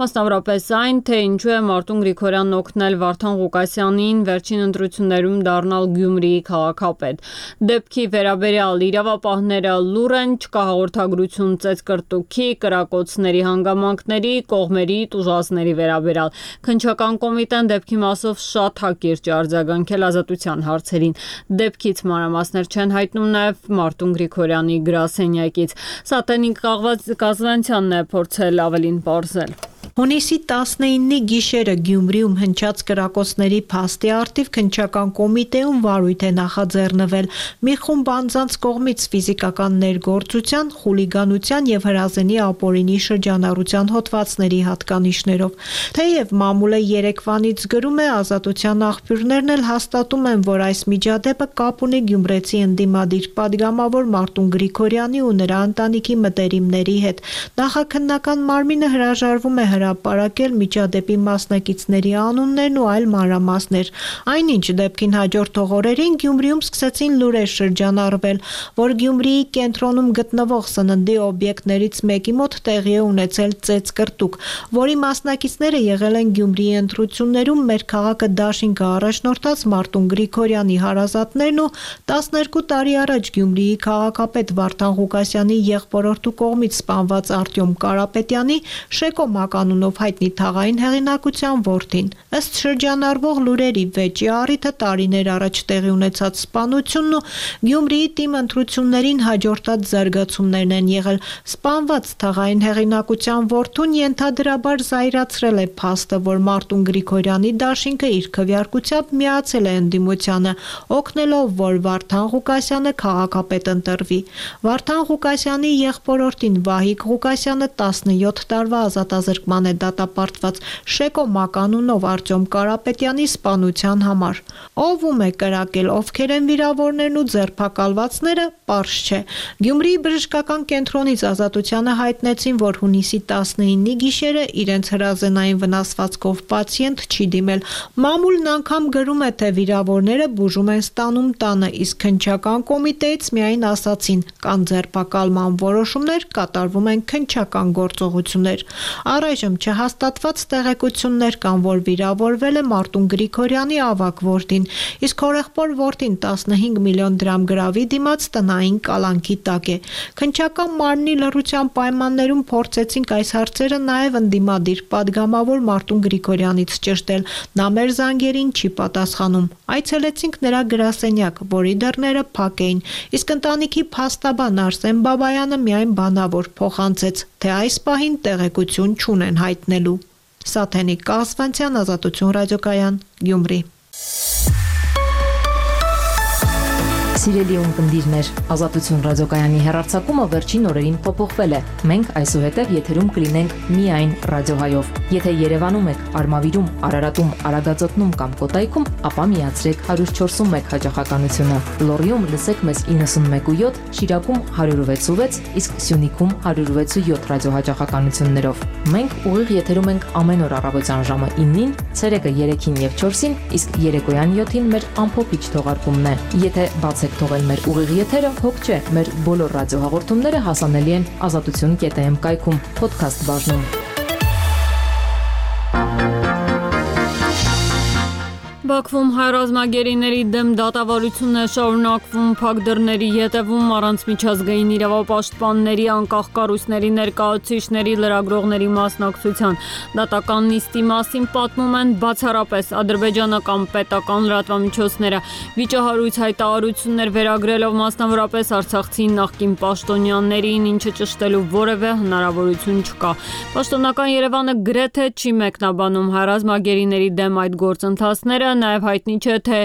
մասնավորապես այն, թե ինչու է Մարտուն Գրիգորյանն օգնել Վարդան Ղուկասյանին վերջին ընտրություններում դառնալ Գյումրիի քաղաքապետ։ Դեպքի վերաբերյալ իրավապահները լուր են, չկա հաղորդագրություն ծեծկրտուքի, կրակոցների հանգամանքների, կողմերի, տուժածների վերաբերյալ։ Քննչական կոմիտեն դեպքի մասով շատ հակիրճ է արձագանքել ազատության հարցերին։ Դեպքից մանրամասներ չեն հայտնում նաև Մարտուն Գրիգորյանի գրասենյակից։ Սատենիկ Կազվանցյանն է փորձել ավելին պարզել։ Հունիսի 19-ի գիշերը Գյումրիում հնչած կրակոցների փաստի առթիվ քննչական կոմիտեում վարույթ է նախաձեռնվել մի խումբ անձանց կողմից ֆիզիկական ներգործության, խուլիգանության եւ հրազենի ապօրինի շրջանառության հոդվածների հատկանիշներով։ Թեև մամուլը երեկվանից գրում է, ազատության աղբյուրներն էլ հաստատում են, որ այս միջադեպը կապ ունի գյումրեցի ընդդիմադիր պատգամավոր Մարտուն Գրիգորյանի ու նրա ընտանիքի մտերիմների հետ։ Նախաքննական մարմինը հրաժարվում է հրապարակել միջադեպի մասնակիցների անուններն ու այլ մանրամասներ։ Այնինչ դեպքին հաջորդող օրերին Գյումրիում սկսեցին լուրեր շրջանառվել, որ Գյումրիի կենտրոնում գտնվող սննդի օբյեկտներից մեկի մոտ տեղի է ունեցել ծեծկրտուք, որի մասնակիցները եղել են Գյումրիի ընտրություններում մեր քաղաքը դաշինքը առաջնորդած Մարտուն Գրիգորյանի հարազատներն ու 12 տարի առաջ Գյումրիի քաղաքապետ Վարդան Ղուկասյանի եղբորորդու կողմից սպանված Արտյոմ Կարապետյանի Շեկո անունով հայտնի թաղային հեղինակության որդին։ Ըստ շրջանառվող լուրերի վեճի առիթը տարիներ առաջ տեղի ունեցած սպանությունն ու Գյումրիի թիմ ընտրություններին հաջորդած զարգացումներն են եղել։ Սպանված թաղային հեղինակության որդուն ենթադրաբար զայրացրել է փաստը, որ Մարտուն Գրիգորյանի դաշինքը իր քվեարկությամբ միացել է ընդդիմությանը, օգնելով, որ Վարդան Ղուկասյանը քաղաքապետ ընտրվի։ Վարդան Ղուկասյանի եղբորորդին Վահիկ Ղուկասյանը 17 տարվա ազատազրկման է դատապարտված Շեկո Մականունով Արտյոմ Կարապետյանի սպանության համար։ Ով ում է կրակել, ովքեր են վիրավորներն ու ձերբակալվածները, պարզ չէ։ Գյումրիի բժշկական կենտրոնից Ազատությանը հայտնեցին, որ հունիսի 19-ի գիշերը իրենց հրազենային վնասվածքով պացիենտ չի դիմել։ Մամուլն անգամ գրում է, թե վիրավորները բուժում են ստանում տանը, իսկ քննչական կոմիտեից միայն ասացին՝ կան ձերբակալման որոշումներ, կատարվում են քննչական գործողություններ։ Առայժմ չհաստատված տեղեկություններ կան, որ վիրավորվել է Մարտուն Գրիգորյանի ավագ որդին, իսկ հորեղբոր որդին 15 միլիոն դրամ գրավի դիմաց տնային կալանքի տակ է։ Քննչական մարմնի լռության պայմաններում փորձեցինք այս հարցերը նաև ընդդիմադիր падգամավոր Մարտուն Գրիգորյանից ճշտել։ Նա մեր զանգերին չի պատասխանում։ Այցելեցինք նրա գրասենյակ, որի դռները փակ էին, իսկ ընտանիքի փաստաբան Արսեն Բաբայանը միայն բանավոր փոխանցեց, թե այս պահին տեղեկություն չունեն հայտնելու։ Սաթենիկ Կասվանցյան, Ազատություն ռադիոկայան, Գյումրի։ Սիրելի ունկնդիրներ, Ազատություն ռադիոկայանի հեռարձակումը վերջին օրերին փոփոխվել է։ Մենք այսուհետև եթերում կլինենք միայն ռադիոհայով։ Եթե Երևանում եք, Արմավիրում, Արարատում, Արագածոտնում կամ Կոտայքում, ապա միացրեք 104.1 հաճախականությունը։ Լոռիում լսեք մեզ 91.7, Շիրակում 106.6, իսկ Սյունիքում 106.7 ռադիոհաճախականություններով։ Մենք ուղիղ եթերում ենք ամեն օր առավոտյան ժամը 9-ին, ցերեկը 3-ին եւ 4-ին, իսկ երեկոյան 7-ին մեր ամփոփիչ թողարկումն է։ Եթե բացեք թողել մեր ուղիղ եթերը, հոգ չէ, մեր բոլոր ռադիոհաղորդումները հասանելի են azatutun.am կայքում, podcast բաժնում։ Բաքվում հայրազմագերիների դեմ դատավարությունն է շարունակվում փակ դռների ետևում առանց միջազգային իրավապաշտպանների, անկախ կառույցների ներկայացուցիչների, լրագրողների մասնակցության։ Դատական նիստի մասին պատմում են բացառապես ադրբեջանական պետական լրատվամիջոցները։ Վիճահարույց հայտարարություններ վերագրելով մասնավորապես արցախցի նախկին պաշտոնյաներին, ինչը ճշտելու որևէ հնարավորություն չկա։ Պաշտոնական Երևանը գրեթե չի մեկնաբանում հայրազմագերիների դեմ այդ գործընթացները, նաև հայտնի չէ, թե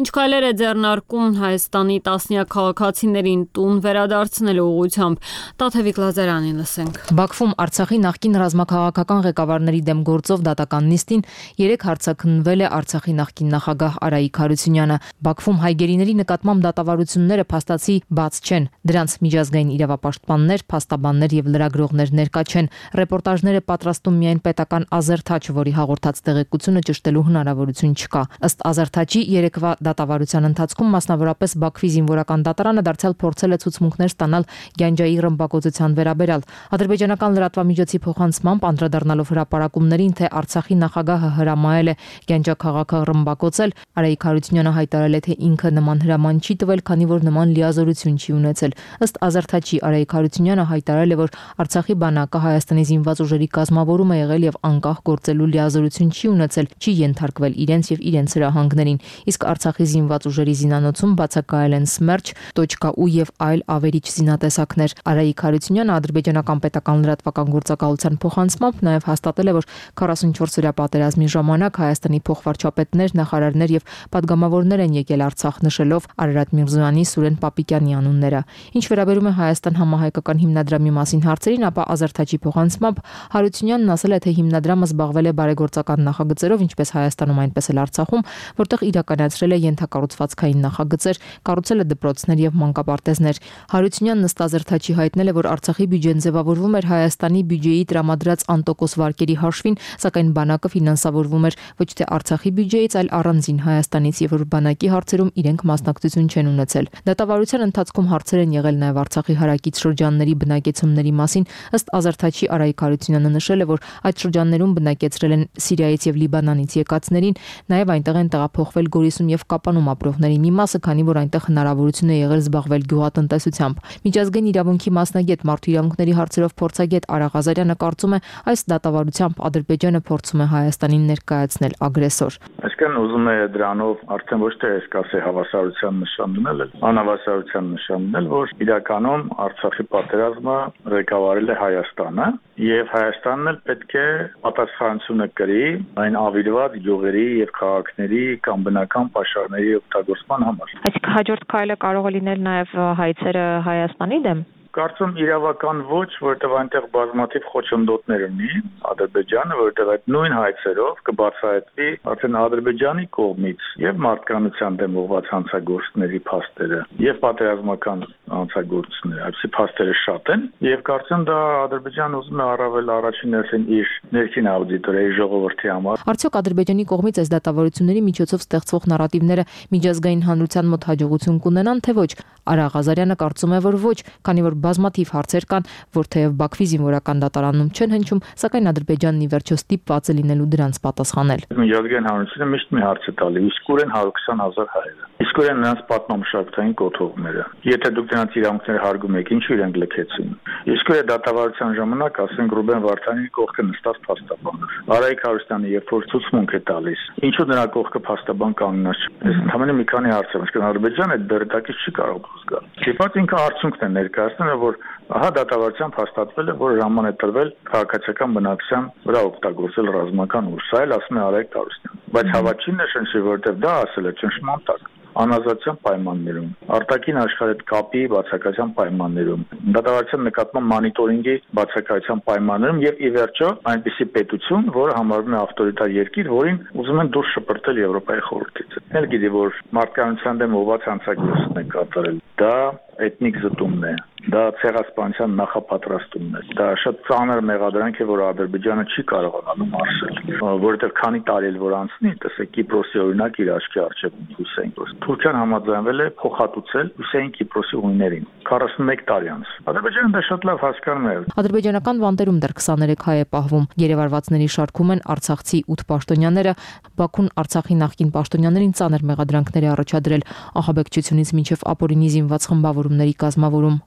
ինչ քայլեր է ձեռնարկում Հայաստանի տասնյակ քաղաքացիներին տուն վերադարձնելու ուղղությամբ։ Տաթևիկ Լազարյանին լսենք։ Բաքվում Արցախի նախկին ռազմաքաղաքական ղեկավարների դեմ գործող դատական նիստին 3 հարցաքննվել է Արցախի նախկին նախագահ Արայիկ Հարությունյանը։ Բաքվում հայգերիների նկատմամբ դատավարությունները փաստացի բաց չեն։ Դրանց միջազգային իրավապաշտպաններ, փաստաբաններ եւ լրագրողներ ներկա չեն։ Ռեպորտաժները պատրաստում միայն պետական Ազերթաչ, որի հաղորդած տեղեկությունը ճշտելու հնարավորություն չկա։ Ըստ Ազերթաչի երեկվա դատավարության ընթացքում մասնավորապես Բաքվի զինվորական դատարանը դարձյալ փորձել է ցուցմունքներ ստանալ Գյանջայի ռմբակոծության վերաբերյալ։ Ադրբեջանական լրատվամիջոցի փոխանցմամբ անդրադառնալով հրապարակումներին, թե Արցախի նախագահը հրամայել է Գյանջա քաղաքը ռմբակոծել, Արայիկ Հարությունյանը հայտարարել է, թե ինքը նման հրաման չի տվել, քանի որ նման լիազորություն չի ունեցել։ Ըստ Ազերթաչի Արայիկ Հարությունյանը հայտարարել է, որ Արցախի բանակը Հայաստանի զինված ուժերի կազմավորում է եղել եւ անկախ գործելու լիազորություն չի ունեցել, չի ենթարկվել իրենց եւ իրենց հրահանգներին, իսկ Արցախի զինված ուժերի զինանոցում բացակայել են Սմերջ.ու եւ այլ ավերիչ զինատեսակներ։ Արայիկ Հարությունյանը ադրբեջանական պետական լրատվական գործակալության փոխանցմամբ նաեւ հաստատել է, որ 44-օրյա պատերազմի ժամանակ Հայաստանի փոխվարչապետներ, նախարարներ եւ падգամավորներ են եկել Արցախ, նշելով Արարատ Միրզոյանի, Սուրեն Պապիկյանի անունները։ Ինչ վերաբերում է Հայաստան համահայկական հիմնադրամի մասին հարցերին, ապա Ազերթաչի փոխանցմամբ Հարությունյանն ասել է, թե հիմնադրամը զբաղվել է բարեգործական նախագծերով, ինչպես Հայաստանում, այնպես էլ Արցախում, որտեղ իրականացրել է ենթակառուցվածքային նախագծեր, կառուցել է դպրոցներ եւ մանկապարտեզներ։ Հարությունյանն ըստ Ազերթաչի հայտնել է, որ Արցախի բյուջեն ձևավորվում էր Հայաստանի բյուջեի տրամադրած անտոկոս վարկերի հաշվին, սակայն բանակը ֆինանսավորվում էր ոչ թե Արցախի բյուջեից, այլ առանձին Հայաստանից, եւ որ բանակի հարցերում իրենք մասնակցություն չեն ունեցել։ Դատավարության ընթացքում հարցեր են եղել նաեւ Արցախի հարակից շրջանների բնակեցումների մասին։ Ըստ Ազերթաչի Արայիկ Հարությունյանը նշել է, որ այդ շրջաններում բնակեցրել են Սիրիայից եւ Լիբանանից եկածներին, նաեւ այնտեղ են տեղափոխվել Գորիսում եւ Կապանում ապրողների մի մասը, քանի որ այնտեղ հնարավորություն է եղել զբաղվել գյուղատնտեսությամբ։ Միջազգային իրավունքի մասնագետ, մարդու իրավունքների հարցերով փորձագետ Արա Ղազարյանը կարծում է, այս դատավարությամբ Ադրբեջանը փորձում է Հայաստանին ներկայացնել ագրեսոր։ Այսինքն ուզում է դրանով արդեն ոչ թե այսքան հավասարության նշան դնել, անհավասարության նշան դնել, որ իրականում Արցախի պատերազմը ղեկավարել է Հայաստանը եւ Հայաստանն էլ պետք է պատասխանատվությունը կրի այն ավիրված գյուղերի եւ քաղաքների կամ բնական պաշարների օգտագործման համար։ Այսինքն հաջորդ քայլը կարող է լինել նաեւ հայցերը Հայաստանի դեմ։ Կարծում իրավական ոչ, որտեղ այնտեղ բազմաթիվ խոչընդոտներ ունի Ադրբեջանը, որտեղ այդ նույն հայցերով կբացահայտվի արդեն Ադրբեջանի կողմից եւ մարդկանցության դեմ ուղղված հանցագործների փաստերը եւ պատերազմական հանցագործությունները, այսի փաստերը շատ են եւ կարծում դա Ադրբեջանը ուզում է առավել առաջին հերթին իր ներքին աուդիտորի ժողովրդի համար։ Արդյոք Ադրբեջանի կողմից այս դատավարությունների միջոցով ստեղծվող նարատիվները միջազգային հանրության մոտ հաջողություն կունենան, թե ոչ։ Արա Ղազարյանը կարծում է, որ ոչ, քանի որ բազմաթիվ հարցեր կան, որ թեև Բաքվի զինվորական դատարանում չեն հնչում, սակայն Ադրբեջանն ի վերջո ստիպված է լինելու դրանց պատասխանել։ Միջազգային հանրությունը միշտ մի հարց է տալի՝ իսկորեն 120,000 հայերը։ Իսկորեն նրանց պատմամշակութային կոթողները։ Եթե դուք նրանց իրավունքները հարգում եք, ինչու իրենք լքեցին։ Իսկորեն դատավարության ժամանակ, ասենք Ռուբեն Վարդանյանի կողքը նստած փաստաբանը։ Արայիկ Հարությունյանը երբ որ ցուցմունք է տալիս, ինչու նրա կողքը փաստաբան կանգնած չէ։ Այս ընդհանրապես մի քանի հարց է, այսինքն Ադրբեջանը այդ բերդակից չի կարող զգալ։ Ստիպված ինքը արդյունքն է ներկայացնում, որ ահա դատավարությամբ հաստատվել է, որ ժաման է տրվել քաղաքացիական բնակության վրա օգտագործել ռազմական ուժ։ Սա էլ ասում է Արայիկ Հարությունյանը։ Բայց հավատչին է շնչի, որովհետև դա ասել է ճնշման տակ անազատության պայմաններում, արտաքին աշխարհի հետ կապի բացակայության պայմաններում, դատավարության նկատմամբ մոնիտորինգի բացակայության պայմաններում եւ ի վերջո այնպիսի պետություն, որը համարվում է ավտորիտար երկիր, որին ուզում են դուրս շպրտել Եվրոպայի խորհրդից։ Ել գիտի, որ մարդկանցության դեմ ուղղված հանցագործություն է կատարել։ Դա էթնիկ զտումն է, դա ցեղասպանության նախապատրաստումն է։ Դա շատ ծանր մեղադրանք է, որ Ադրբեջանը չի կարողանալու մարսել, որովհետև քանի տարի էլ որ անցնի, տեսեք Կիպրոսի օրինակ իր աչքի առջև Հուսեին Կիպրոս։ Թուրքիան համաձայնվել է փոխհատուցել Հուսեին Կիպրոսի հույներին 41 տարի անց։ Ադրբեջանը դա շատ լավ հասկանում է։ Ադրբեջանական բանտերում դեռ 23 հայ է պահվում։ Երևարվածների շարքում են արցախցի 8 պաշտոնյաները։ Բաքուն Արցախի նախկին պաշտոնյաներին ծանր մեղադրանքներ է առաջադրել ահաբեկչությունից մինչև ապօրինի զինված խմբավորումների կազմավորում։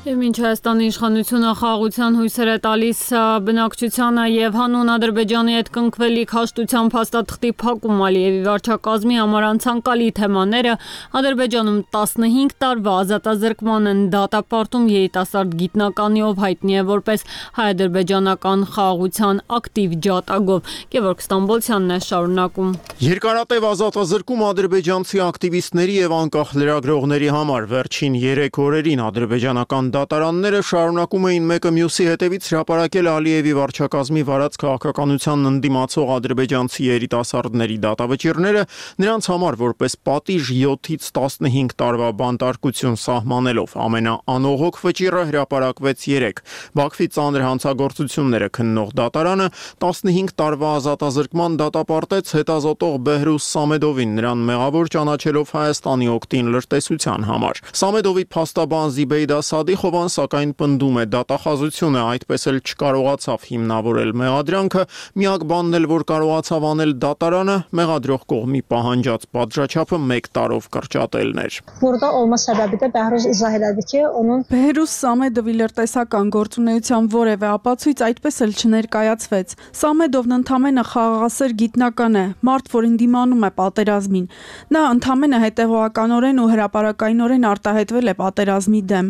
Եվ մինչ Հայաստանի իշխանությունը խաղաղության հույսեր է տալիս բնակչությանը եւ հանուն Ադրբեջանի հետ կնքվելիք հաշտությամբ հաստատղտի փակում Ալիևի վարչակազմի համար անցանկալի թեմաները, Ադրբեջանում 15 տարվա ազատազրկման են դատապարտում երիտասարդ գիտնականի, ով հայտնի է որպես հայ-ադրբեջանական խաղաղության ակտիվ ջատագով։ Գևորգ Ստամբոլցյանն է շարունակում։ Երկարատև ազատազրկում ադրբեջանցի ակտիվիստների եւ անկախ լրագրողների համար վերջին 3 օրերին ադրբեջանական դատարանները շարունակում էին մեկը մյուսի հետևից հրապարակել Ալիևի վարչակազմի վարած քաղաքականությանն ընդդիմացող ադրբեջանցի երիտասարդների դատավճիռները, նրանց համար որպես պատիժ 7-ից 15 տարվա բանտարկություն սահմանելով։ Ամենաանողոք վճիռը հրապարակվեց 3։ Բաքվի ծանր հանցագործությունները քննող դատարանը 15 տարվա ազատազրկման դատապարտեց հետազոտող Բեհրուզ Սամեդովին, նրան մեղավոր ճանաչելով Հայաստանի օգտին լրտեսության համար։ Սամեդովի փաստաբան Զիբեյդա Սադիխովան սակայն պնդում է դատախազությունը այդպես էլ չկարողացավ հիմնավորել մեղադրանքը, միակ բանն էլ որ կարողացավ անել դատարանը մեղադրող կողմի պահանջած պատժաչափը 1 տարով կրճատելն էր։ Burada olma səbəbi də Bəhruz izah elədi ki, onun Բեհրուզ Սամեդովի լրտեսական գործունեության որևէ ապացույց այդպես էլ չներկայացվեց։ Սամեդովն ընդամենը խաղաղասեր գիտնական է, մարդ, որին դիմանում է պատերազմին։ Նա ընդամենը հետևողականորեն ու հրապարակայնորեն արտահայտվել է պատերազմի դեմ,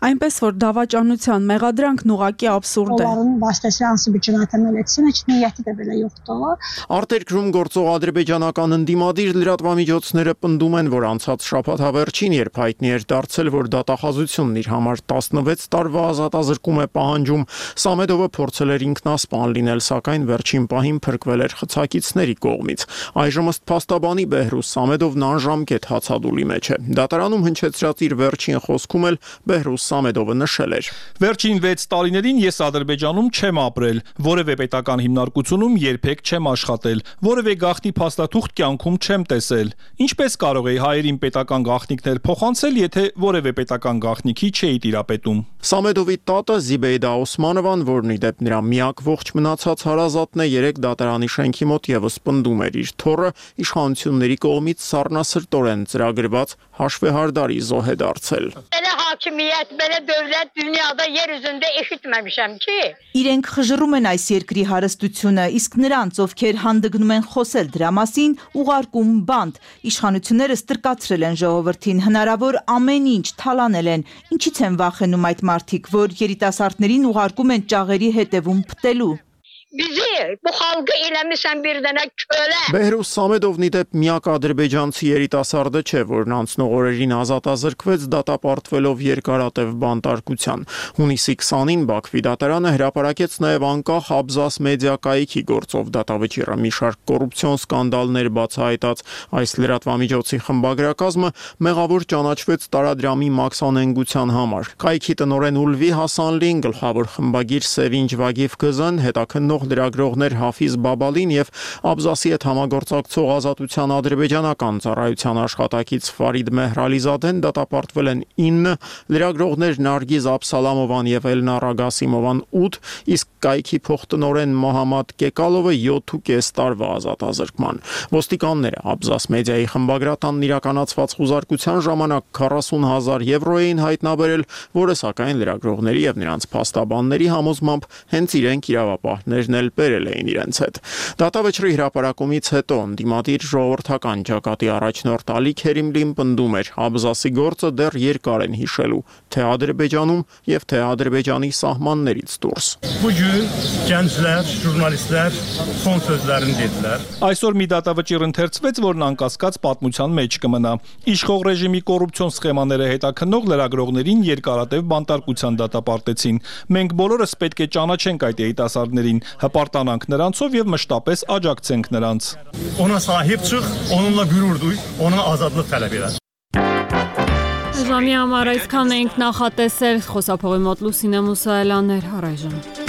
այնպես որ դավաճանության մեղադրանքն ուղղակի աբսուրդ է։ Արտերկրում գործող ադրբեջանական ընդդիմադիր լրատվամիջոցները պնդում են, որ անցած շաբաթավերջին, երբ հայտնի էր դարձել, որ դատախազությունն իր համար 16 տարվա ազատազրկում է պահանջում, Սամեդովը փորձել էր ինքնասպան լինել, սակայն վերջին պահին փրկվել էր խցակիցների կողմից։ Այժմ ըստ փաստաբանի Բեհրուզ Սամեդովն անժամկետ հացադուլի մեջ է։ Դատարանում հնչեցրած իր վերջին խոսքում էլ Բեհրուզ Սամեդովը նշել էր. Վերջին 6 տարիներին ես Ադրբեջանում չեմ ապրել, որևէ պետական հիմնարկությունում երբեք չեմ աշխատել, որևէ գաղտնի փաստաթուղթ կյանքում չեմ տեսել։ Ինչպես կարող էի հայերին պետական գաղտնիքներ փոխանցել, եթե որևէ պետական գաղտնիքի չէի տիրապետում։ Սամեդովի տատը Զիբեյդա Օսմանովան, որն ի դեպ նրա միակ ողջ մնացած հարազատն է, 3 դատարանի շենքի մոտ եւս պնդում էր իր թոռը իշխանությունների կողմից սառնասրտորեն ծրագրված հաշվեհարդարի զոհ է դարձել։ Hakimiyyət, belə dövlət dünyada yer üzündə eşitməmişəm ki. Իրենք խժռում են այս երկրի հարստությունը, իսկ նրանց, ովքեր հանդգնում են խոսել դրա մասին, ուղարկում բանտ։ Իշխանությունները ստրկացրել են ժողովրդին, հնարավոր ամեն ինչ թալանել են։ Ինչից են վախենում այդ մարդիկ, որ երիտասարդներին ուղարկում են ճաղերի հետևում փտելու։ Bizi bu halkı eləmişsən bir dənə kölə. Բեհրուս Սամեդովն ի դեպ միակ ադրբեջանցի երիտասարդը չէ, որն անցնող օրերին ազատազրկվեց դատապարտվելով երկարատև բանտարկության։ Հունիսի 20-ին Բաքվի դատարանը հրապարակեց նաև անկախ Աբզաս մեդիա կայքի գործով դատավճիռը, մի շարք կոռուպցիոն սկանդալներ բացահայտած այս լրատվամիջոցի խմբագրակազմը մեղավոր ճանաչվեց տարադրամի մաքսանենգության համար։ Կայքի տնօրեն Ուլվի Հասանլին, գլխավոր խմբագիր Սևինջ Վագիվկզն, հետաքննող լրագրողներ Հաֆիզ Բաբալին եւ Աբզասի հետ համագործակցող Ազատության ադրբեջանական ծառայության աշխատակից Ֆարիդ Մեհրալիզադեն դատապարտվել են 9, լրագրողներ Նարգիզ Աբսալամովան եւ Էլնարա Գասիմովան 8, իսկ կայքի փոխտնօրեն Մոհամմադ Կեկալովը 7.5 տարվա ազատազրկման։ Ոստիկանները Աբզաս մեդիայի խմբագրատանն իրականացված խուզարկության ժամանակ 40,000 եվրո էին հայտնաբերել, որը սակայն լրագրողների եւ նրանց փաստաբանների համոզմամբ հենց իրենք իրավապահներն էլ բերել էին իրենց հետ։ Դատավճռի հրապարակումից հետո ընդդիմադիր ժողովրդական ճակատի առաջնորդ Ալի Քերիմլին պնդում էր, Աբզասի գործը դեռ երկար են հիշելու, թե Ադրբեջանում եւ թե Ադրբեջանի սահմաններից դուրս։ Gənclər, jurnalistlər son sözlərini dedilər. Այսօր մի դատավճիռ ընթերցվեց, որն անկասկած պատմության մեջ կմնա։ Իշխող ռեժիմի կոռուպցիոն սխեմաները հետաքննող լրագրողներին երկարատև բանտարկության դատապարտեցին։ Մենք բոլորս պետք է ճանաչենք այդ երիտասարդներին, հպարտանանք նրանցով եւ մշտապես աջակցենք նրանց։ Ona sahib çıx, onunla gurur duy, ona azadlıq tələb elə. Ժամի համար այսքան ենք նախատեսել, խոսափողի մոտ Լուսինե Մուսայելյաններ, առայժմ։